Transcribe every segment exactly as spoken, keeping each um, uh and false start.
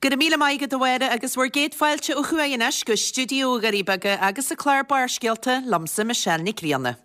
Go raibh míle maith agat a Mháire agus bhur gcéad fáilte ó thuaidh anois go stiúideo Dhoirí Beaga agus an clár Barrscéalta liomsa Michelle Nic Grianna.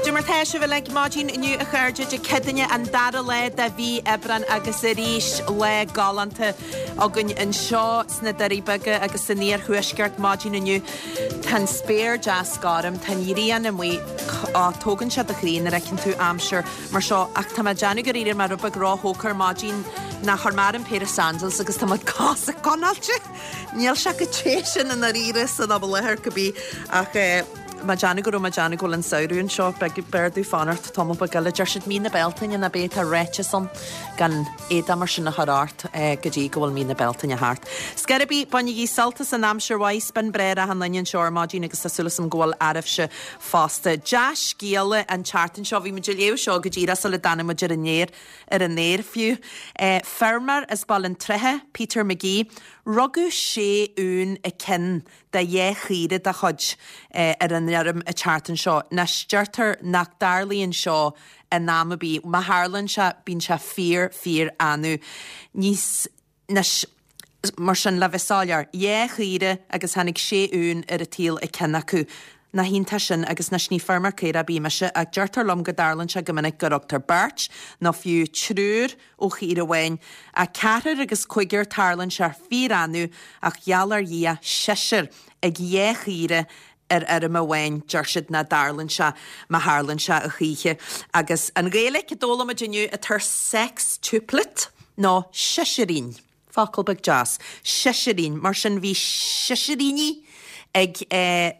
Cad é mar tá sibh uilig maidin inniu a chairde Dé Céadaoine an dara lá de mhí Aibreán agus arís lá galánta againn anseo sna Doirí Beaga agus san iarthuaisceart maidin inniu. Tá an spéir deas gorm, tá an ghrian amuigh, á, tógann sé do chroí nuair a fheiceann tú aimsir mar seo ach tá mé ag déanamh go raibh mé rud beag róthógtha ar maidin nár chuir mé orm péire sandals agus tá mo chosa conáilte. Níl sé chomh te sin i ndáiríre san am i láthair cibé ach eh, mé ag déanamh go raibh mé ag déanamh go bhfuil an samhradh anseo, b'fhearr domh fanacht tamall beag eile. Deir siad mí na Bealtaine ná beidh tá ráiteas ann gan éadach mar sin a chur ort go dtí go bhfuil mí na Bealtaine thart. Scor ar bith, bainigí sult as an aimsir mhaith, 's b'in breá ar achan duine anseo ar maidin agus tá súil agam go bhfuil oraibhse fosta. Dea-scéala an tseachtain seo, bhí muid ag léamh seo go díreach sula dtáinig muid ar an aer, ar an aer fiú. Feirmeoir as Béal an Trátha, Peter McGee, rugadh sé uan i cionn de dhá chaora dá chuid ar an fheirm an tseachtain seo. Anois, deirtear nach dtarlaíonn seo in am ar bith. Má tharlaíonn sé, bíonn sé fíor, fíor annamh. Níos, anois, mar sin, le bheith soiléir, dhá chaora agus tháinig sé uan ar an tsaol ag ceann acu. Nach iontach sin agus anois ní feirmeoir caorach ar bith mise ach deirtear liom go dtarlaíonn sé go minic go rugtar beirt nó fiú triúr ó chaora amháin. Ach ceathrar agus cúigear tarlaíonn sé fíor-annamh ach gheall ar Dhia seisear ag dhá chaora ar fheirm amháin deir siad nach dtarlaíonn sé má tharlaíonn sé a choíche. Agus an Ghaeilge a d'fhoghlaim muid inniu atá ar sextuplet nó seisearín. Focal beag deas. Seisearín. Mar sin bhí seisearíní ag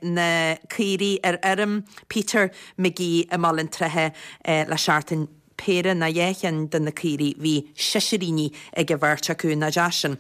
na caoirigh ar fheirm Peter McGee i mBaile an Trátha le seachtain. Péire nó dhá cheann de na caoirigh bhí seisearíní ag an bheirt acu. Nach deas sin.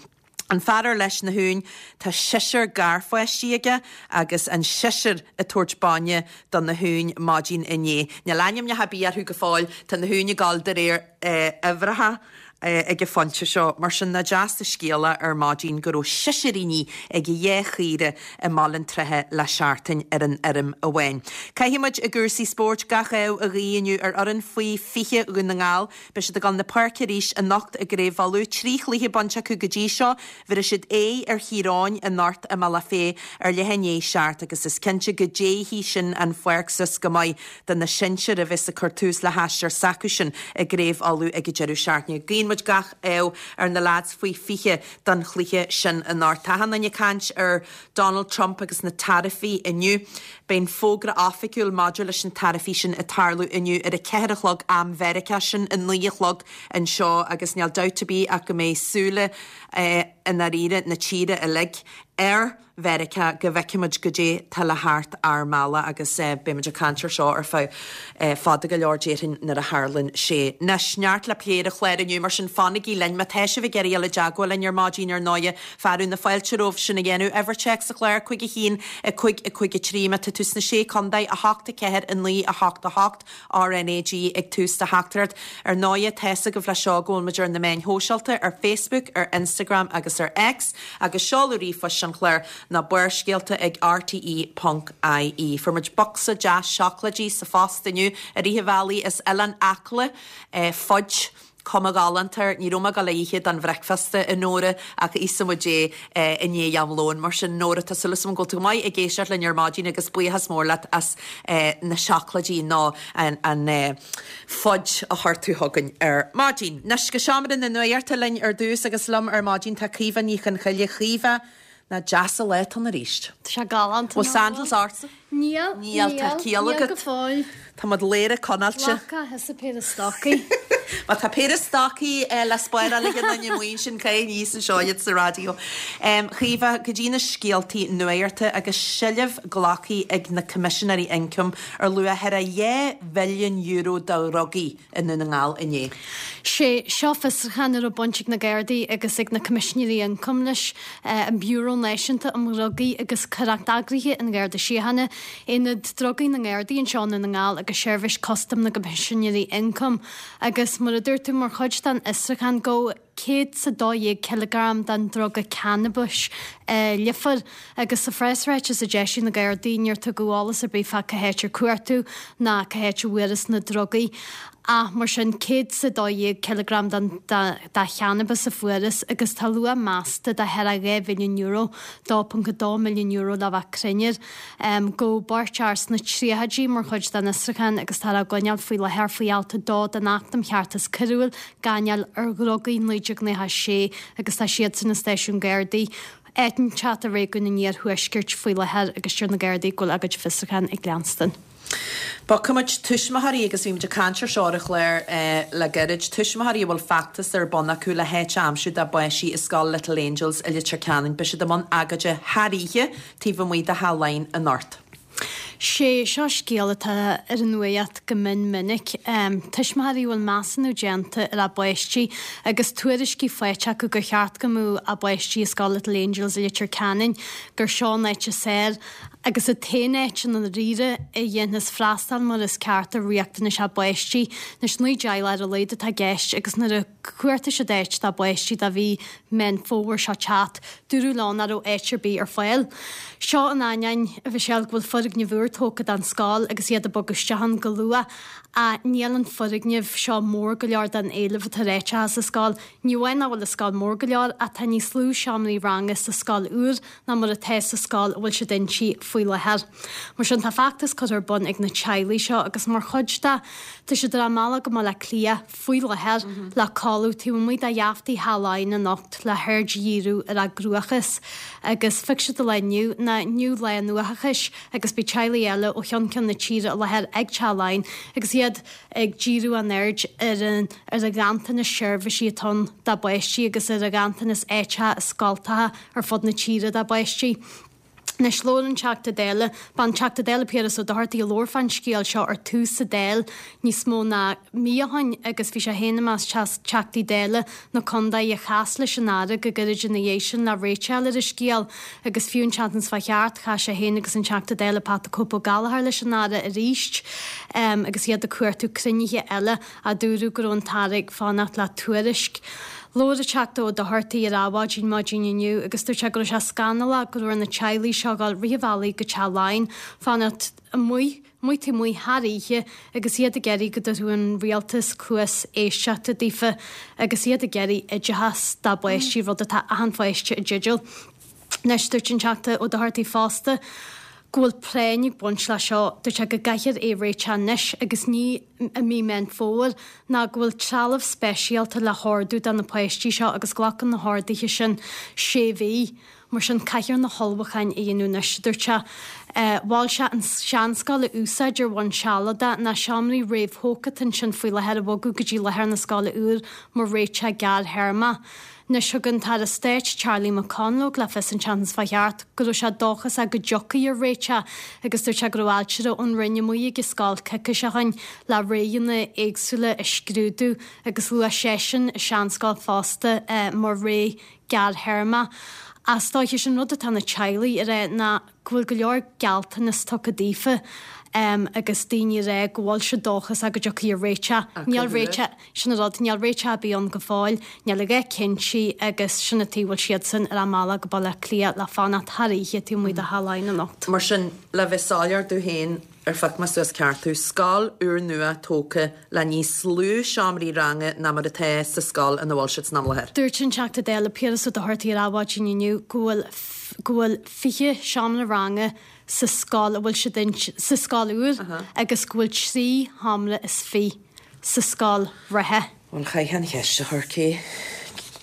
An fear ar leis na huain, tá seisear garpháistí aige agus an seisear ag tabhairt bainne do na huain maidin inné. Níl ainmneacha ar bith orthu go fóill, tá na huain ag gabháil de réir uimhreacha ag an phointe seo. Mar sin, nach deas an scéala ar maidin go raibh seisearíní ag dhá chaora i mBaile an Trátha le seachtain ar an fheirm amháin. Caithfidh muid i gcúrsaí spóirt gach ádh a ghuí inniu ar fhoireann faoi fiche Dhún na nGall. Beidh siad ag dul na páirce arís anocht i gCraobh Uladh. Trí chluiche bainte acu go dtí seo. Bhéarfaidh siad aghaidh ar Thír Eoghain anocht i mBealach Féich ar leath i ndiaidh a seacht agus is cinnte go dtéifidh sin an pháirc suas go maith do na sinsir a bheas ag cur tús le haistear s'acusan i gCraobh Uladh ag an deireadh seachtaine. Guíonn muid gach ádh ar na leaids faoi fiche don chluiche sin anocht. Tá achan duine ag caint ar Donald Trump agus na taraifí inniu. Beidh an fógra oifigiúil maidir leis na taraifí sin ag tarlú inniu ar a ceathair a chlog am Mheiriceá, sin a naoi a chlog anseo agus níl dabht ar bith ach go mbeidh súile i ndáiríre na tíre uilig ar Mheiriceá go bhfeicfimid goidé tá le theacht ár mbealach agus beimid ag caint ar seo ar feadh fada go leor déarfainn nuair a tharlaíonn sé. Anois, neart le plé ar an chlár inniu mar sin fanaigí linn má tá sibh ag iarraidh dul i dteagmháil linn ar maidin ar ndóighe fearadh na fáilte romhaibh sin a dhéanamh. Uimhir téacs an chláir cúig a haon a cúig a cúig a trí má tá tú sna Sé Contae a hocht a ceathair a naoi a hocht a hocht RnaG ag tús do theachtaireacht. Ar ndóighe tá's agaibh leis seo go bhfuil muid ar na meáin shóisialta ar Facebook, ar Instagram agus ar X agus seoladh ríomhphoist an chláir ná barrscéalta ag rte ponc ie. Fuair muid bocsa deas seacláidí sa phost inniu i rith an bhealaigh as Oileán Acla, fudge, cuma ghalánta air. Ní raibh mé ag dul a ithe don bhricfeasta a Nóra ach íosfaidh muid é i ndiaidh am lóin. Mar sin Nóra, tá súil agam go bhfuil tú go maith ag éisteacht linn ar maidin agus buíochas mór leat as na seacláidí nó an an fudge a chuir tú chugainn ar maidin. Anois go seomra na nuachta linn ar dtús agus liom ar maidin tá Caoimhe Ní Chonchoille. Caoimhe, nach deas an lá atá ann arís. Tá sé galánta. Bhfuil sandals ortsa? Níl. Níl, tá ciall Níl agat. go fóill. Tá muid léir conáilte. Glacadh thusa péire stocaí. Má tá péire stocaí le spáráil ag an duine amuigh ansin caith aníos anseo iad sa raidió. Caoimhe, go dtí na scéaltaí nuachta agus seilbh glactha ag na Coimisinéirí Ioncaim ar luach thar a dhá mhilliún euro de dhrugaí i nDún na nGall inné. Sé seo fiosrúchán a raibh baint ag na Gardaí agus ag na Coimisinéirí Ioncaim leis, an Biúró Náisiúnta um Dhrugaí agus Coireacht Eagraithe an Gharda Síochána, Aonad Drugaí na nGardaí anseo i nDún na nGall agus Seirbhís Custaim na gCoimisinéirí Ioncaim agus mar a dúirt tú mar chuid den fhiosrúchán go céad 's a dó dhéag cileagram den druga cannabais i Leifear agus sa phreasráiteas a d'eisigh na Gardaí níor tugadh eolas ar bith fá cá háit ar cuartú ná cá háit a bhfuarthas na drugaí ach mar sin céad 's a dó dhéag cileagram den de channabas a fuarthas agus tá luach measta de thar a dhá mhilliún euro, dó ponc a dó milliún euro le bheith cruinn air. Gabhadh beirt fhear sna tríochaidí mar chuid den fhiosrúchán agus táthar á gcoinneáil faoi láthair faoi alt a dó den Acht um Cheartas Coiriúil, Gáinneáil ar Dhrugaí, naoi déag nócha a sé agus tá siadsan i stáisiún Gardaí áit inteacht i réigiún an Iarthuaiscirt faoi láthair agus deir na Gardaí go bhfuil a gcuid fiosrúchán ag leanstan. Bogfaidh muid tuismitheoirí, agus bhí muid ag caint ar seo ar an chlár le gairid, tuismitheoirí a bhfuil feachtas ar bun acu le háit a aimsiú dá bpáistí i scoil Little Angels i Leitir Ceanainn. Beidh siad i mbun agóide thar oíche taobh amuigh de Theach Laighean anocht. Sé seo scéal atá ar an nuacht go mion minic. Tuismitheoirí a bhfuil measúnú déanta ar a bpáistí agus tuairiscí faighte acu gur cheart go mbeadh a bpáistí i scoil Little Angels i Leitir Ceanainn, gur seo an áit is fearr agus an t-aon áit i ndáiríre a dhéanfas freastal mar is ceart ar riachtanais a bpáistí. Anois naoi dteaghlach ar a laghad atá i gceist agus nuair a chuartaigh siad áit dá bpáistí do mhí Meán Fómhair seo teacht, dúradh leo nach raibh áit ar bith ar fáil. Seo in ainneoin, a Mhichelle, go bhfuil foirgneamh úr tógtha don scoil agus iad ag bogadh isteach ann go luath ach níl an foirgneamh seo mór go leor don éileamh atá ar áiteacha sa scoil. Ní amháin nach bhfuil an scoil mór go leor ach tá níos lú seomraí ranga sa scoil úr ná mar atá sa scoil a bhfuil siad inti faoi láthair. Mar sin tá feachtas curtha ar bun ag na teaghlaigh seo agus mar chuid de tá siad ar a mbealach go mBaile Átha Cliath faoi láthair le codladh taobh amuigh de gheaftaí Theach Laighean anocht le haird a dhíriú ar a gcruachás agus phioc siad an lá inniu ná inniu lá an uathachais agus beidh teaghlaigh eile ó cheann ceann na tíre i láthair ag Teach Laighean agus iad ag díriú a n-aird ar an ar an ghanntanas seirbhísí atá ann dá bpáistí agus ar an ghanntanas áiteacha i scoltacha ar fud na tíre dá bpáistí. Anois labhair an Teachta Dála, b'an Teachta Dála Piaras Ó Dochartaigh a labhair fán scéal seo ar tús sa Dáil níos mó ná mí ó shin agus bhí sé féin i measc Teachtaí Dála na contae a chas leis an Aire go gairid ina dhiaidh sin le réiteach a fháil ar an scéal agus fiú an tseachtain seo thart chas sé féin agus an Teachta Dála Pat the Cope Ó Gallchóir leis an Aire arís agus iad ag cuartú cruinnithe eile ach dúradh go raibh an tAire ag fanacht le tuairisc. Labhair an Teachta Ó Dochartaigh ar Adhmhaidin maidin inniu agus dúirt sé go raibh sé scannalach go raibh ar na teaghlaigh seo dul rith an bhealaigh go Teach Laighean, fanacht amuigh, amuigh taobh amuigh thar oíche agus iad ag iarraidh go dtabharfadh an rialtas cluas éisteachta daofa agus iad ag iarraidh oideachas dá bpáistí, rud atá achan pháiste i dteideal. Anois, dúirt an Teachta Ó Dochartaigh fosta go bhfuil práinn ag baint leis seo. Dúirt sé go gcaithfear é a réiteach anois agus ní i mí Meán Fómhair ná go bhfuil trealamh speisialta le hordú do na páistí seo agus glacann na horduithe sin sé mhí. Mar sin caithfear na hullmhúcháin a dhéanamh anois, a dúirt sé. Mhol sé an seanscoil a úsáid ar bhonn sealadach ná seomraí réamhthógtha atá ansin faoi láthair a bhogadh go dtí láthair na scoile úr mar réiteach gearrthéarmach. Anois thug an tAire Stáit Charlie McConalogue le fios an tseachtain seo thart go raibh sé dóchasach go dtiocfaí ar réiteach agus dúirt sé go raibh ailtire ón Roinn amuigh ag an scoil coicís ó shin le roghanna éagsúla a scrúdú agus luaigh seisean an seanscoil fosta mar rogha gearrthéarmach. Ach is dóiche sin rud atá na teaghlaigh a rá ná go bhfuil go leor gealltanas tugtha daofa agus daoine ag rá go bhfuil siad dóchasach go dtiocfaidh ar réiteach. Níl réiteach, sin an rud, níl réiteach ar bith ann go fóill, níl a dhath cinnte agus sin an tuige a bhfuil siadsan ar a mbealach go Baile Átha Cliath le fanacht thar oíche taobh amuigh de Theach Laighean anocht. Mar sin, le bheith soiléir domh féin, ar phioc mé suas ceart thú, scoil úrnua tógtha le níos lú seomraí ranga ná mar atá sa scoil ina bhfuil siad san am i láthair. Dúirt an Teachta Dála Piaras Ó Dochartaigh ar Adhmhaidin inniu go bhfuil go bhfuil fiche seomra ranga sa scoil a bhfuil siad inti, sa scoil úr agus go bhfuil trí sheomra is fiche sa scoil reatha. Bhuel, chaithfeá an cheist a chur, cé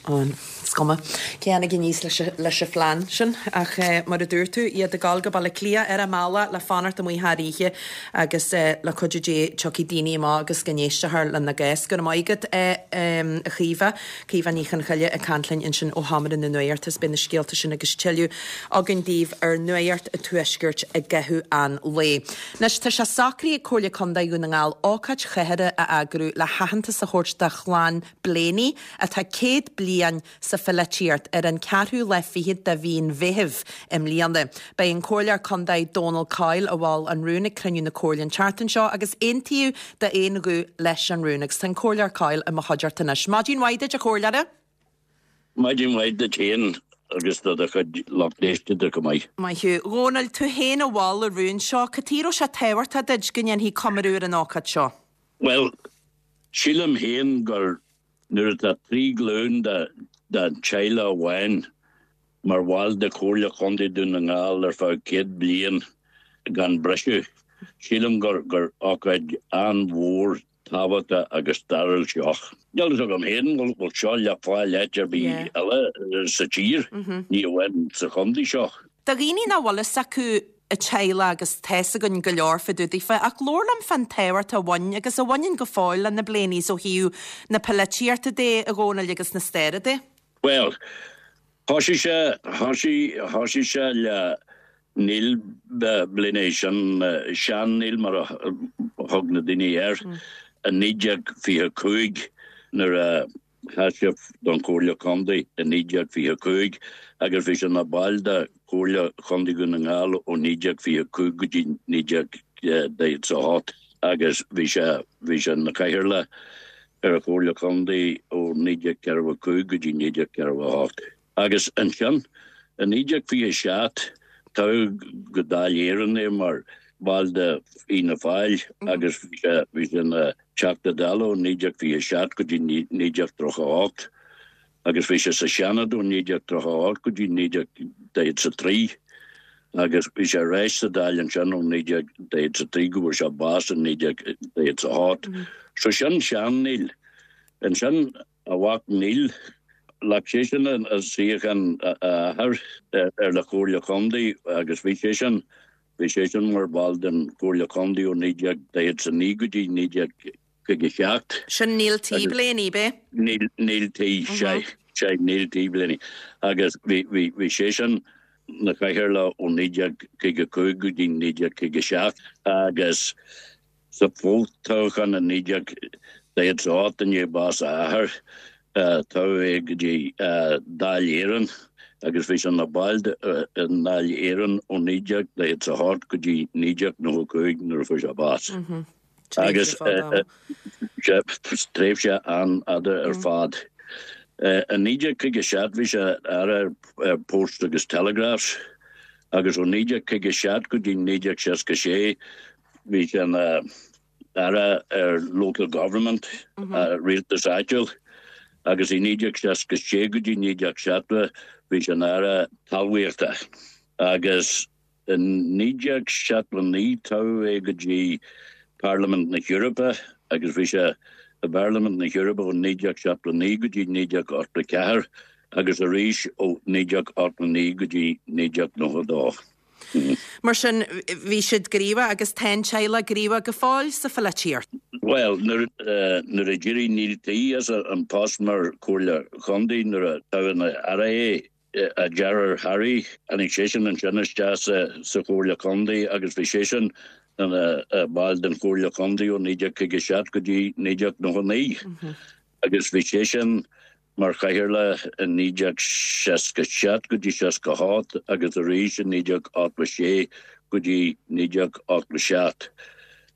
an Is cuma cé tháinig aníos leis an phlean sin, ach mar a dúirt tú, iad ag dul go Baile Átha Cliath ar a mbealach le fanacht amuigh thar oíche agus le cuidiú Dé tiocfaidh daoine amach agus go n-éistfear lena gcás. Go raibh maith agat, a Chaoimhe. Caoimhe Ní Chonchoille ag caint linn ansin ó Sheomra na Nuachta is beidh na scéalta sin agus tuilleadh againn daoibh ar Nuacht an Tuaiscirt i gcaitheamh an lae. Anois tá sé socraithe ag Comhairle Contae Dhún na nGall ócáid chathartha a eagrú le haitheantas a thabhairt do chlann Blaney atá céad bliain sa pholaitíocht ar an ceathrú lá fichead de mhí an Mheithimh i mbliana. Beidh an Comhairleoir Contae Dónal Coyle a mhol an rún ag cruinniú na Comhairle an tseachtain seo agus aontaíodh d'aon ghuth leis an rún agus tá an Comhairleoir Coyle i mo chuideachta anois. Maidin mhaith duit a Chomhairleora? Maidin mhaith duit féin agus do do chuid lucht éisteachta go maith. Maith thú. Dhónaill, tú féin a mhol an rún seo, cad chuige a raibh sé tábhachtach duit go ndéanfaí comóradh ar an ócáid seo? Well, sílim féin gur nuair atá trí glún de den teaghlach amháin mar bhall de Chomhairle Chontae Dhún na nGall ar feadh céad bliain gan briseadh, sílim gur gur ócáid an-mhór tábhachtach agus stairiúil seo. Níl fhios agam féin bhfuil bhfuil seo le fáil áit ar bith eile sa tír, ní amháin sa chontae seo. Do dhaoine nach bhfuil fhios acu an teaghlach agus tá fhios againn go leor fá dtaobh daofa, ach labhair liom fán tábhacht a bhain agus a bhaineann go fóill le na Blaneys ó thaobh na polaitíochta de, a Dhónaill agus na staire de. Well, thosaigh sé thosaigh thosaigh sé le Neil Blaney sin sean Neil mar a thug na daoine air i naoi déag fiche cúig nuair a sheas sé don Chomhairle Contae i naoi déag fiche cúig agus bhí sé ina ball de Chomhairle Chontae Dhún na nGall ó naoi déag fiche cúig go dtí naoi déag daichead a hocht agus bhí sé bhí sé ina chathaoirleach ar an Chomhairle Contae ó naoi déag ceathracha a cúig go dtí naoi déag ceathracha a hocht. Agus ansin i naoi déag fiche seacht toghadh go Dáil Éireann é mar bhall de Fhianna Fáil agus bhí sé bhí sé ina Teachta Dála ó naoi déag fiche seacht go dtí naoi déag tríocha a hocht agus bhí sé sa Seanad ó naoi déag tríocha a hocht go dtí naoi déag daichead a trí agus bhí sé ar ais sa Dáil ansin ó naoi déag daichead a trí go bhfuair sé bás i naoi déag daichead a hocht. So sin sean Neil. Ansin a mhac Neil ghlac seisean an suíochán a athar ar la Chomhairle Chontae agus bhí seisean bhí seisean mar bhall den Chomhairle Chontae ó naoi déag daichead a naoi go dtí naoi déag caoga seacht. Sin Neil T. Blaney, b'é? Neil Neil T. sé sé Neil T. Blaney agus bhí bhí bhí seisean na chathaoirleach ó naoi déag caoga cúig go dtí naoi déag caoga seacht agus sa fho-toghchán i naoi déag daichead a hocht i ndiaidh bás a athar toghadh é go dtí Dáil Éireann agus bhí sé ina ball i nDáil Éireann ó naoi déag daichead a hocht go dtí naoi déag nócha cúig nuair a fuair sé bás. Agus tréimhse an-fhada ar fad. I naoi déag caoga seacht bhí sé aire ar Post agus Telegraphs agus ó naoi déag caoga seacht go dtí naoi déag seasca sé bhí sé ina aire ar Local Government, rialtas áitiúil, agus i naoi déag seasca sé go dtí naoi déag seachtó bhí sé ina aire talmhaíochta. Agus i naoi déag seachtó naoi toghadh é go dtí Parlaimint na hEorpa agus bhí sé i bParlaimint na hEorpa ó naoi déag seachtó naoi go dtí naoi déag ochtó ceathair agus arís ó naoi déag ochtó naoi go dtí naoi déag nócha dó. Mar sin bhí siad gníomhach agus tá an teaghlach gníomhach go fóill sa pholaitíocht. Well, nuair nuair a d'éirigh Neil T as an post mar Chomhairle Chontae nuair a toghadh ina aire é, a dheartháir Harry, tháinig seisean ansin isteach sa sa Chomhairle Chontae agus bhí seisean ina ball den Chomhairle Chontae ó naoi déag caoga seacht go dtí naoi déag nócha naoi. Agus bhí seisean mar chathaoirleach i naoi déag seasca seacht go dtí seasca hocht agus arís i naoi déag ochtó sé go dtí naoi déag ochtó seacht.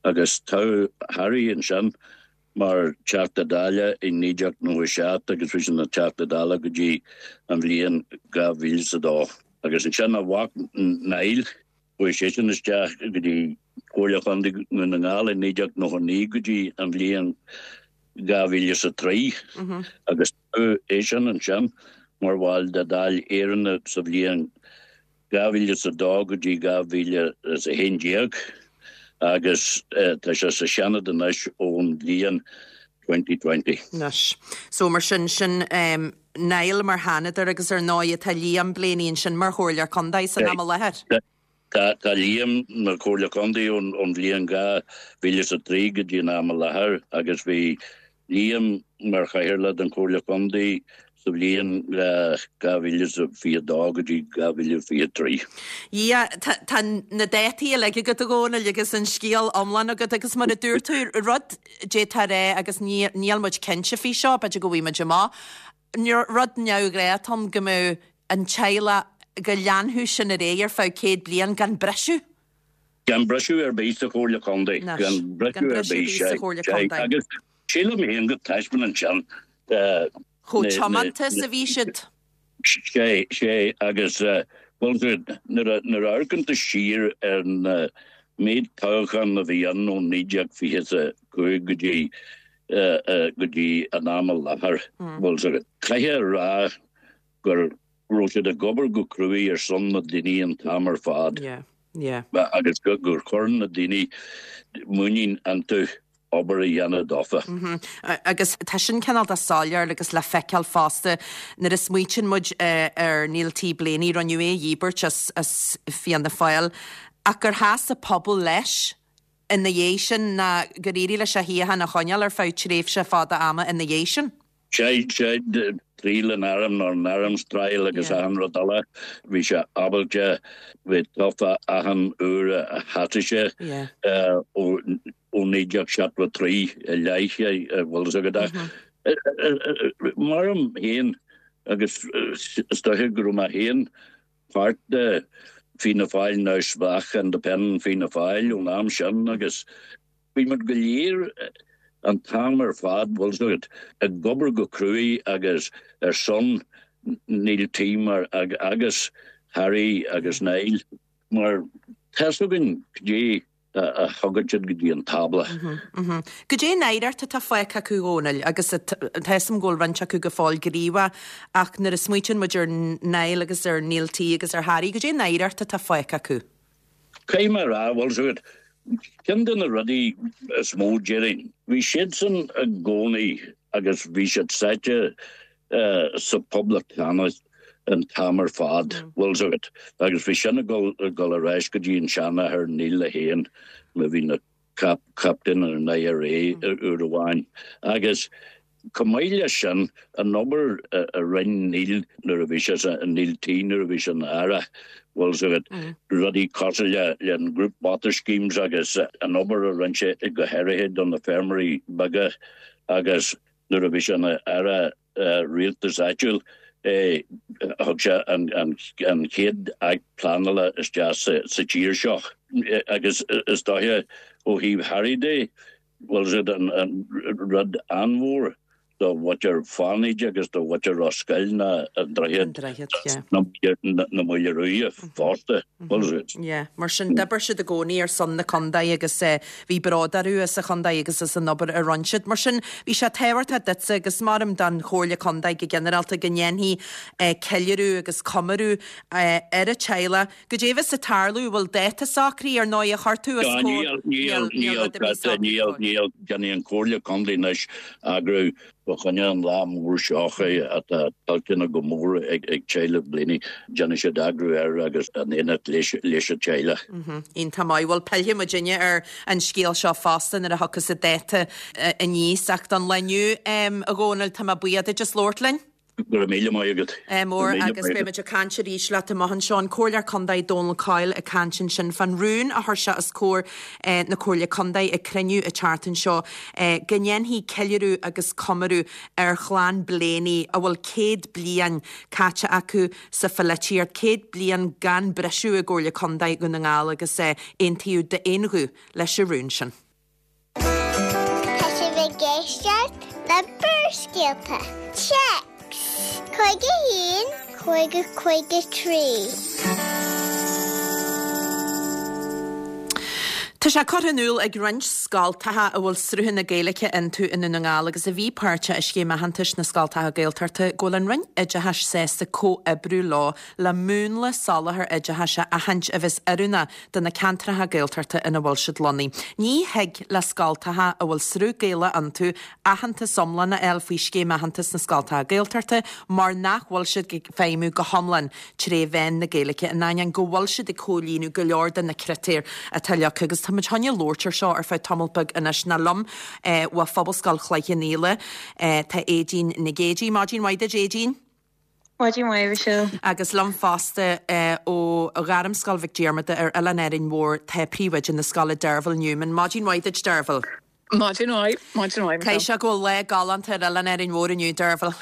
Agus toghadh Harry ansin mar Teachta Dála i naoi déag nócha seacht agus bhí sé ina Teachta Dála go dtí an bhliain dhá mhíle is a dó. Agus ansin a mhac Niall, chuaigh seisean isteach go dtí Comhairle Chontae Dhún na nGall i naoi déag nócha naoi go dtí an bhliain dhá mhíle is a trí agus toghadh eisean ansin mar bhall de Dáil Éireann sa bhliain dhá mhíle is a dó go dtí dhá mhíle is a haon déag agus tá sé sa Seanad anois ón bhliain twenty twenty. Anois. So mar sin, sin um, Niall mar Sheanadóir agus ar ndóigh tá Liam Blaney ansin mar Chomhairleoir Contae san am i láthair. Tá tá Liam mar Chomhairleoir Contae ón ón bhliain dhá mhíle is a trí go dtí an am i láthair agus bhí Liam mar chathaoirleach den Chomhairle Contae sa bhliain dhá mhíle is a fiche dó go dtí dhá mhíle fiche trí. Yeah, tá tá na dátaí uilig agat a Dhónaill agus an scéal iomlán agat agus mar a dúirt tú, rud d'fhéadfá a rá agus ní níl muid cinnte faoi seo, b'fhéidir go bhfaighidh muid amach, rud neamhghnách atá ann go mbeadh an teaghlach go leanfadh sin ar aghaidh ar feadh céad bliain gan briseadh. Gan briseadh ar bith sa Chomhairle Contae. Gan briseadh ar bith sa Chomhairle Contae. Agus sílim féin go dtaispeánann sin chomh tiomanta is a bhí siad. Sé, sé, agus bhuel nuair a amharcann tú siar ar an méid toghchán a bhí ann ó naoi déag fiche a cúig go dtí go dtí an am i láthair, bhuel caithfidh a rá gur raibh siad ag obair go cruaidh ar son na daoine an t-am ar fad. Yeah, yeah. Agus gur chuir na daoine muinín iontu obair a dhéanamh dófa. Agus tá sin cineál de soiléir agus le feiceáil fosta nuair a smaoitíonn muid ar Neil T. Blaney, rinneadh é a dhíbirt as, as Fianna Fáil, ach gur sheas an pobal leis ina dhiaidh sin ná gur éirigh leis a shuíochán a choinneáil ar feadh tréimhse fada ama ina dhiaidh sin. Sé, sé, triail an airm nó an arms trial agus achan rud eile, bhí sé ábalta bheith tofa achan uair a sheasaigh sé ó naoi déag seachtó a trí i leith, bhfuil fhios agat. Maram féin agus is dóiche go raibh mé féin páirt de Fianna Fáil neamhspleách Independent Fianna Fáil ón am sin agus bhí muid go léir an t-am ar fad, bhfuil fhios agat, ag obair go cruaidh agus ar son Neil T mar agus Harry agus Niall mar tá's againn cad é a thugann siad go dtí an tábla. Cad é an oidhreacht atá fágtha acu, a Dhónaill, agus tá fhios agam go bhfuil roinnt acu go fóill gníomhach ach nuair a smaoitíonn muid ar Niall agus ar Neil T agus ar Harry, cad é an oidhreacht atá fágtha acu? Caithfidh mé a rá, bhfuil fhios agat, ceann de na rudaí is mó déarfainn, bhí siadsan i gcónaí agus bhí siad sáite sa phoblachtánachas an t-am ar fad, bhfuil fhios agat, agus bhí sin ag dul ar ais go dtí an seanathair Neil é féin, a bhí ina chaptaen ar an IRA uair amháin. Agus chomh maith leis sin, an obair a rinne Neil nuair a bhí sé sa, Neil T nuair a bhí sé ina aire, bhfuil fhios agat, rudaí cosúil le le an Group Water Schemes agus an obair a rinne sé go háirithe do na feirmeoirí beaga agus nuair a bhí sé ina aire rialtais áitiúil, thug sé an chéad Acht Pleanála isteach sa tír seo agus is dóiche ó thaobh Harry de, bhfuil fhios agat, an rud an-mhór do mhuintir Fánaid agus do mhuintir Ros Goill ná an droichead na Maoile Ruaidhe fosta. Bhfuil fhios agat. Yeah, mar sin d'oibir siad i gcónaí ar son na contae agus bhí bród orthu as an chontae agus as an obair a rinne siad. Mar sin bhí sé tábhachtach duitse agus maram don Chomhairle Contae go ginearálta go ndéanfaí ceiliúradh agus comóradh ar an teaghlach. Goidé a bheas ag tarlú, bhfuil dáta socraithe ar ndóigh a chuir tú os comhair? Níl, níl, níl, níl, níl, déanfaidh an Chomhairle Contae anois eagrú Fá choinne an lá mór seo atá tuillteanach go mór ag teaghlach Blaney, déanfaidh siad eagrú air agus in éineacht leis an teaghlach. Iontach maith. Bhuel, pillfidh muidinne ar an scéal seo fosta nuair a thiocfas an dáta aníos. Ach don lá inniu, a Dhónaill, tá mé buíoch duit as labhairt linn. Go raibh míle maith agat. Mór agus beidh muid ag caint arís leat amach anseo. An Comhairleoir Contae Dónal Coyle ag caint ansin fán rún a chuir sé os comhair na Comhairle Contae ag cruinniú an tseachtain seo go ndéanfaí ceiliúradh agus comóradh ar chlann Blaney a bhfuil céad bliain caite acu sa pholaitíocht, céad bliain gan briseadh i gComhairle Contae Dhún na nGall agus aontaíodh d'aon ghuth leis an rún sin. Tá sibh ag éisteacht le Barrscéalta. Téacs cúig a haon, cúig a cúig a trí. Tá sé curtha in iúl ag roinnt scoltacha a bhfuil sruthanna Gaeilge iontu i nDún na nGall agus a bhí páirteach i Scéim Aitheantais na Scoltacha Gaeltachta go bhfuil an Roinn Oideachais sásta comhoibriú leo le múnla soláthair oideachais a aithint a bheas oiriúnach do na ceantracha Gaeltachta ina bhfuil siad lonnaithe. Ní thig le scoltacha a bhfuil sruth Gaelach iontu aitheantas iomlán a fháil faoi Scéim Aitheantais na Scoltacha Gaeltachta mar nach bhfuil siad ag feidhmiú go hiomlán tré mheán na Gaeilge in ainneoin go bhfuil siad ag comhlíonadh go leor de na critéir atá leagtha agus tá muid chun labhairt ar seo ar feadh tamall beag anois ná liom eh, ó Phobalscoil Chloich Cheann Fhaola eh, tá Aedín Nic Géidigh Maidin mhaith duit Aedín. Maidin mhaith Michelle. Agus liom fosta eh, ó Ghairmscoil Mhic Diarmada ar Oileán Árainn Mhór tá príomhoide na scoile Derval Newman. Maidin mhaith duit Derval. Maidin mhaith maidin mhaith Cé se go bhfuil lá galánta ar Oileán Árainn Mhór inniu Derval.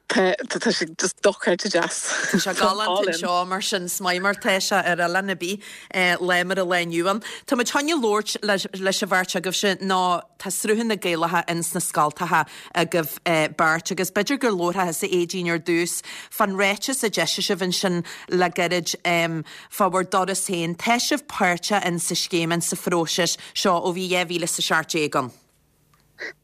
Tá sé just dochreidte deas. Tá sé galánta seo mar sin is maith mar tá sé ar oileán ar bith lá mar an lá inniu ann. Tá muid chun labhairt leis an bheirt agaibhse ná tá sruthanna Gaelacha ins na scoltacha agaibh beirt agus b'fhéidir gur labharfá thusa Aedín ar dtús fán ráiteas a d'eisigh sibh ansin le gairid fá bhur dturas féin. Tá sibh páirteach in sa scéim in sa phróiseas seo ó bhí dhá mhíle is a seacht déag ann.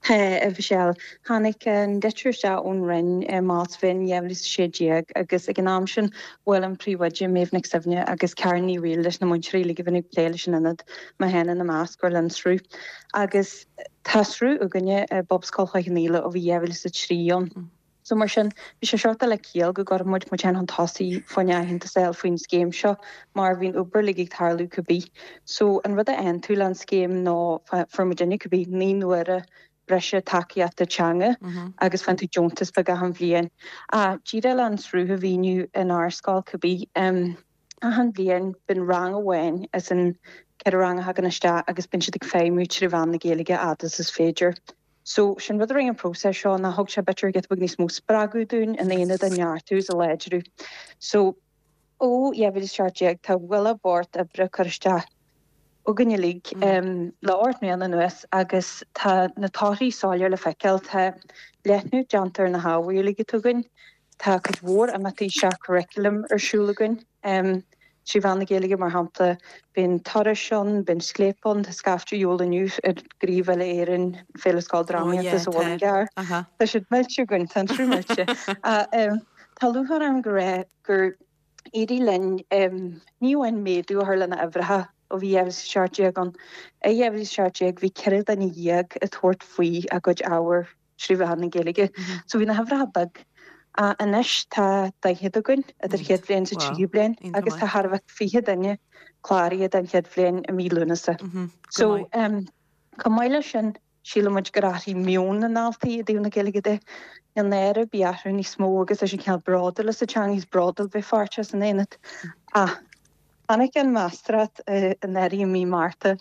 Tá a Mhichelle tháinig an litir isteach ón Roinn i Márta dhá mhíle is sé déag agus ag an am sin bhuail an príomhoide Méabh Nic Suibhne agus Karen Ní Bhaoill leis na múinteoirí le go bhfuil ag plé leis an ionad mé féin ina measc gur le sruth. Agus tá sruth againne i bPobalscoil Chloich Cheann Fhaola ó bhí dhá mhíle is a trí ann. So mar sin bhí sé sort le ciall go gcuirfeadh muid muid féin chun tosaigh faoin aitheantas a fháil faoin scéim seo mar bhí'n obair uilig ag tarlú cibé. So an rud a aontú le an scéim ná fuair muidinne cibé naoi n-uaire breise tacaíochta teanga agus faigheann tú deontas beag achan bhliain. A díreach le an sruth a mhíniú inár scoil cibé um, achan bhliain bíonn rang amháin as an ceithre rang a thagann isteach agus bíonn siad ag feidhmiú trí mheán na Gaeilge fhad is is féidir. So sin rud a rinne an próiseas seo ná thug sé b'fhéidir giota beag níos mó spreagadh dúinn in aonad a neartú is a láidriú. So ó dhá mhíle seacht déag tá bhfuil bord oibre chur isteach againn uilig um, le ocht mbliana anuas agus tá na torthaí soiléir le feiceáil tá leathnú déanta ar na hábhair uilig atá againn, Tá cuid mhór imeachtaí seach-churriculum ar siúl againn. Um, trí mheán na Gaeilge mar shampla bíonn turais ann, bíonn scléip ann, tá scaifte eol inniu ar Ghríomh Éireann Féile Scoildrámaíochta sa Mhuileann gCearr. Tá siad millte againn tá trú millte. Tá lúcháir orm go raibh gur éirigh linn um, ní amháin méadú a chur lena uimhreacha ó bhí dhá mhíle seacht déag ann. I dhá mhíle seacht déag bhí ceithre duine dhéag ag tabhairt faoi a gcuid ábhar trí mheán na Gaeilge. So bhí na huimhreacha beag. A anois tá daichead againn idir chéad bhliain sa tríú bliain agus tá thar a bheith fiche duine cláraithe den chéad bhliain i mí Lúnasa. So um, chomh maith leis sin sílimid gur athraigh meon na ndaltaí i dtaobh na Gaeilge de. Níl náire ar bith orthu níos mó agus é sin cineál bródúil as an teanga is bródúil bheith páirteach san aonad. Ah, tháinig an mheastóireacht anuraidh i mí Márta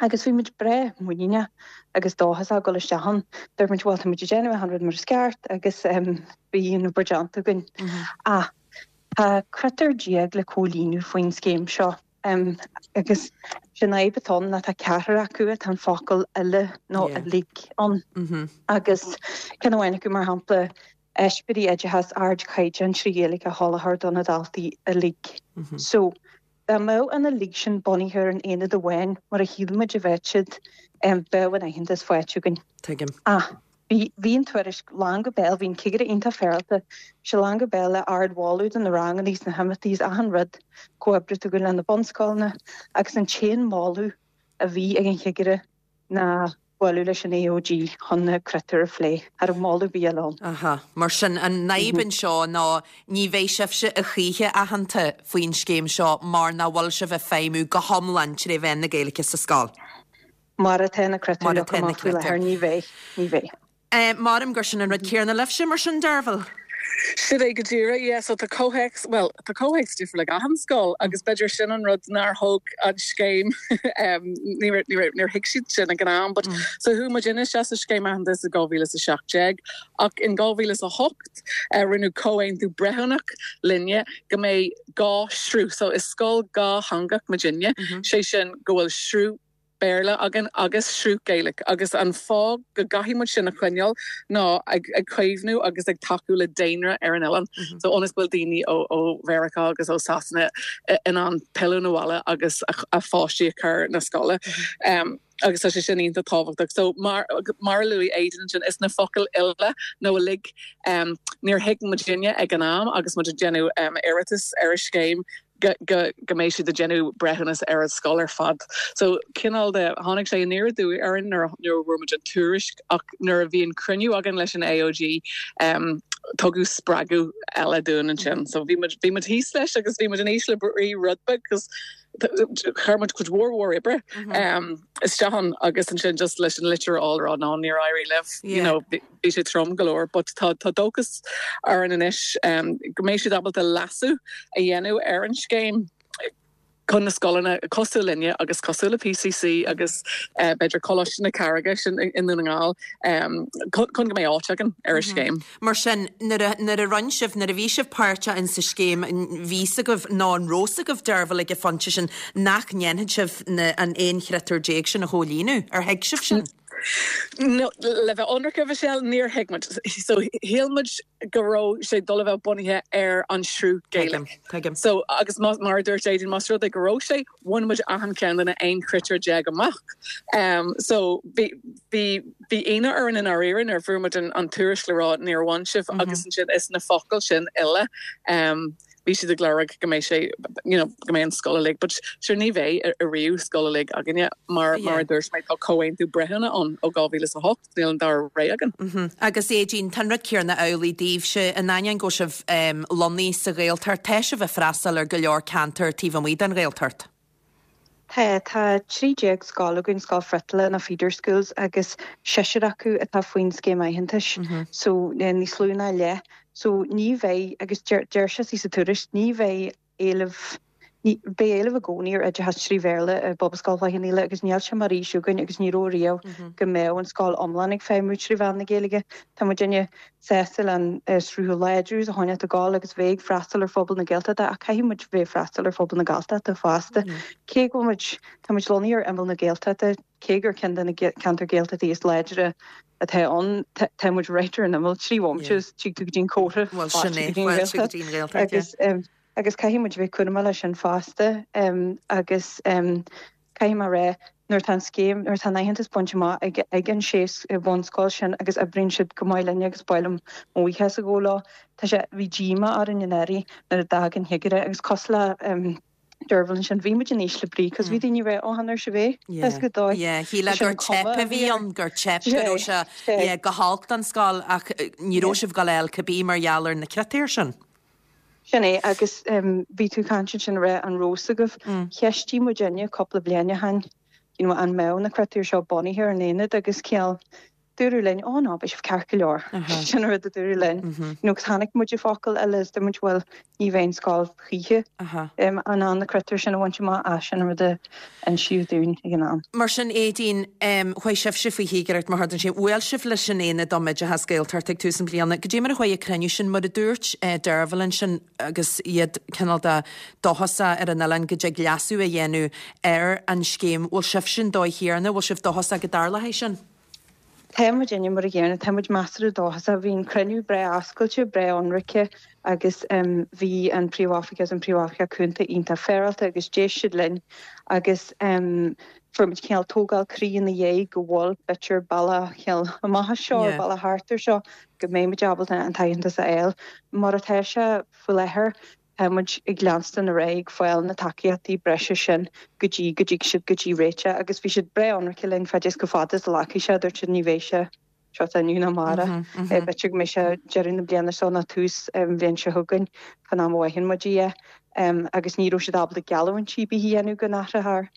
agus bhí muid breá muiníneach agus dóchasach dul isteach ann. Dúirt muid bhuel tá muid ag déanamh an rud mar is ceart agus um, bhí an obair déanta againn. Ah, tá critéar déag le comhlíonadh faoin scéim seo. Um, agus sin fhadhb atá ann ná tá ceathrar acu atá an focal uile nó Yeah. uilig ann. Agus ceann amháin acu mar shampla eispéiris oideachais ardchaighdeán trí Ghaeilge a sholáthar do na daltaí uilig. So dá mbeadh an uilig sin bunaithe ar an aonad amháin mar a shíl muid a bheadh siad um, bheadh an aitheantas faighte againn. Tuigim. Ah, bhí bhí an tuairisc lán go béal, bhí an cigire iontach féaráilte, sé lán go béal le ardmholadh do na ranganna is na himeachtaí is achan rud comhoibriú againn le na bunscoileanna agus an t-aon mholadh a bhí ag an chigire ná bualadh leis an AOG chun na critéir a phlé ar an moladh bí ann. Aha, mar sin an fhadhb anseo ná ní bheidh sibhse a choíche aitheanta faoin scéim seo mar nach bhfuil sibh ag feidhmiú go hiomlán trí mheán na Gaeilge sa scoil. Mar atá na critéir Mar atá na amach faoi láthair critéir. ní bheidh ní bheidh. Eh, Maram gur sin an rud céanna libhse mar sin Derval. Sin é go díreach yeah, so tá comhthéacs well tá comhthéacs difriúil ag achan scoil agus b'fhéidir sin an rud nár thóg an scéim um, níor níor níor thuig siad sin ag an am, but mm. so chuaigh muid isteach sa scéim aitheantais i dhá mhíle a seacht déag ach in dhá mhíle a hocht uh, rinneadh comhaontú breithiúnach linne go mbeidh dhá shruth so is scoil dhátheangach muidinne mm -hmm. sé sin go bhfuil sruth Béarla againn agus sruth Gaeilge agus an fáth go gcaithfidh muid sin a choinneáil ná ag ag caomhnú agus ag tacú le daonra ar an oileán. Mm -hmm. So ionas go bhfuil daoine ó ó Mheiriceá agus ó Sasana in ann pilleadh na bhaile agus a, a pháistí a chur na scoile. Mm -hmm. um, agus tá sé sin iontach tábhachtach. So mar mar a luaigh Aideen sin is na focail uile nó uilig um, níor thuig muidinne ag an am agus muid ag déanamh um, iarratas ar an scéim go go go mbeidh siad ag déanamh breithiúnas ar an scoil ar fad. So cineál de tháinig sé aniar aduaidh orainn nuair nuair a fuair muid an tuairisc ach nuair a bhí an cruinniú againn leis an AOG um, tugadh spreagadh eile dúinn ansin. So bhí bhí muid thíos leis agus bhí muid in ísle brí rud beag cos chuir muid cuid mhór mhór oibre um, isteach ann agus ansin just leis an litir a fháil ná níor éirigh libh you know, bhí sé trom go leor, but tá tá dóchas orainn anois um, go mbeidh siad ábalta leasú a dhéanamh ar an scéim chun na scoileanna cosúil linne agus cosúil le PCC agus uh, b'fhéidir Coláiste na Carraige sin i nDún na nGall um, chun go mbeidh áit againn ar an scéim. Mar sin nuair a rinne sibh nuair a bhí sibh páirteach in sa scéim bhí a fhios agaibh nó an raibh a fhios agaibh Deirbhile ag an phointe sin nach ndéanfaidh sibh an aon chritéar déag sin a chomhlíonadh ar thuig sibh sin? No, le bheith ionraic Michelle níor thuig muid. So shíl muid go raibh sé dul a bheith bunaithe ar an sruth Gaeilge. So agus mar dúirt Aideen más rud é go raibh sé bhain muid achan cheann de na aon chritéar déag amach. Um, so bhí bhí bhí ionadh orainn in áiríre ar fuair muid an, an tuairisc le rá níor bhain sibh mm -hmm. agus ansin is na focail sin uile. Um, bhí siad ag lorg go mbeidh sé you know, go mbeidh an scoil uilig, but sure ní bheidh ariamh scoil uilig againne mar mar a dúirt mé tá comhaontú breithiúna ann ó dhá mhíle a hocht níl an dara rogha againn. Mm -hmm. Agus Aideen tá an rud céanna amhlaidh daoibhse in ainneoin go sibh um, lonnaithe sa Ghaeltacht tá sibh ag freastal ar go leor ceantar taobh amuigh den Ghaeltacht. Tá tá trí déag scoil againn scoil friotaile na feeder schools agus seisear acu atá faoin scéim aitheantais mm -hmm. so níos lú ná leath so ní bheidh agus deir sé sa tuairisc ní bheidh éileamh beidh éileamh i gcónaí ar oideachas trí Bhéarla i bPobalscoil Chloich Cheann Fhaola agus níl sé mar fhís againn agus ní raibh riamh mhm. go mbeadh an scoil iomlán ag feidhmiú trí mheán na Gaeilge. Tá muidinne sásta an sruth láidir a choinneáil ag gabháil agus bheith ag freastal ar phobal na Gaeltachta ach caithfidh muid bheith freastal ar phobal na Galltachta fosta. Mhm. Cé go muid tá muid lonnaithe ar imeall na Gaeltachta cé gur ceann de na ceantar Gaeltachta is láidre atá ann tá muid right ar an imeall trí bhomaite tig tú go dtí'n córa agus agus caithfidh muid bheith cúramach leis sin fosta um, agus um, caithfidh mé rá nuair tá scéim nuair tá aitheantas bainte amach ag ag an sé bhunscoil sin agus oibríonn siad go maith linne agus bailm óiches a gólá Tá sé bhí díomá orainn in éirí nuair a d'fhág an cigire agus cosúil le um, Deirbhile sin bhí muid in ísle brí, cos bhí daoine rá ó se bhé go dóigh. Shíl gur teip a bhí ann gur teip go sé go holc don scoil ach ní raibh sibh go leil cibé mar gheall ar na critéir sin. Sin é agus bhí tú caint sin rá an raibh a fhios agaibh mm. Cheistigh muidinne cúpla bliain ó shin you know, an mbeadh na critéir seo bunaithe ar an aonad agus ciall dúradh linn ó ná beidh sibh ceart go leor sin rud a dúradh linn nó tháinig muid i focail eile is muid bhfuil ní bheidh scoil choíche an an na critéir sin a bhaint amach a sin rud a insíodh dúinn ag an am. Mar sin Aideen chuaigh sibhse faoi chigireacht mar thardan sé bhuail sibh leis an Aonad um Oideachas Gaeltacht ag tús an bliana. Goidé mar a chuaigh an cruinniú sin mar a dúirt Deirbhile sin agus iad cineál de dóchasach ar an oileán go dtig leasú a dhéanamh ar an scéim bhfuil sibh sin dóigh chéanna, bhfuil sibh dóchasach go dtarlóidh sin? Tá muidinne mar a gcéanna tá muid measartha dóchasach bhí an cruinniú breá oscailte breá ionraic agus um, bhí an príomhoifigeach agus an príomhoifigeach cúnta iontach féaráilte agus d'éist siad linn agus um, fuair muid cineál tógáil croí ina dhiaidh go bhfuil b'fhéidir bealach cineál amach seo yeah. bealach thart ar seo go mbeidh muid ábalta an t-aitheantas a fháil mar atá sé faoi láthair tá muid ag leanstan ar aghaidh ag fáil na tacaíochtaí breise sin go dtí go dtí siad go dtí réite agus bhí siad breá ionraic linn fad is go fada is a ghlacfaidh sé dúirt siad ní bheidh sé seo inniu ná amárach b'fhéidir go mbeidh sé deireadh na bliana seo nó tús an bhliain seo chugainn chun am a bhfaigheann muid é agus ní raibh siad ábalta geallúintí ar bith a dhéanamh go n-athrófar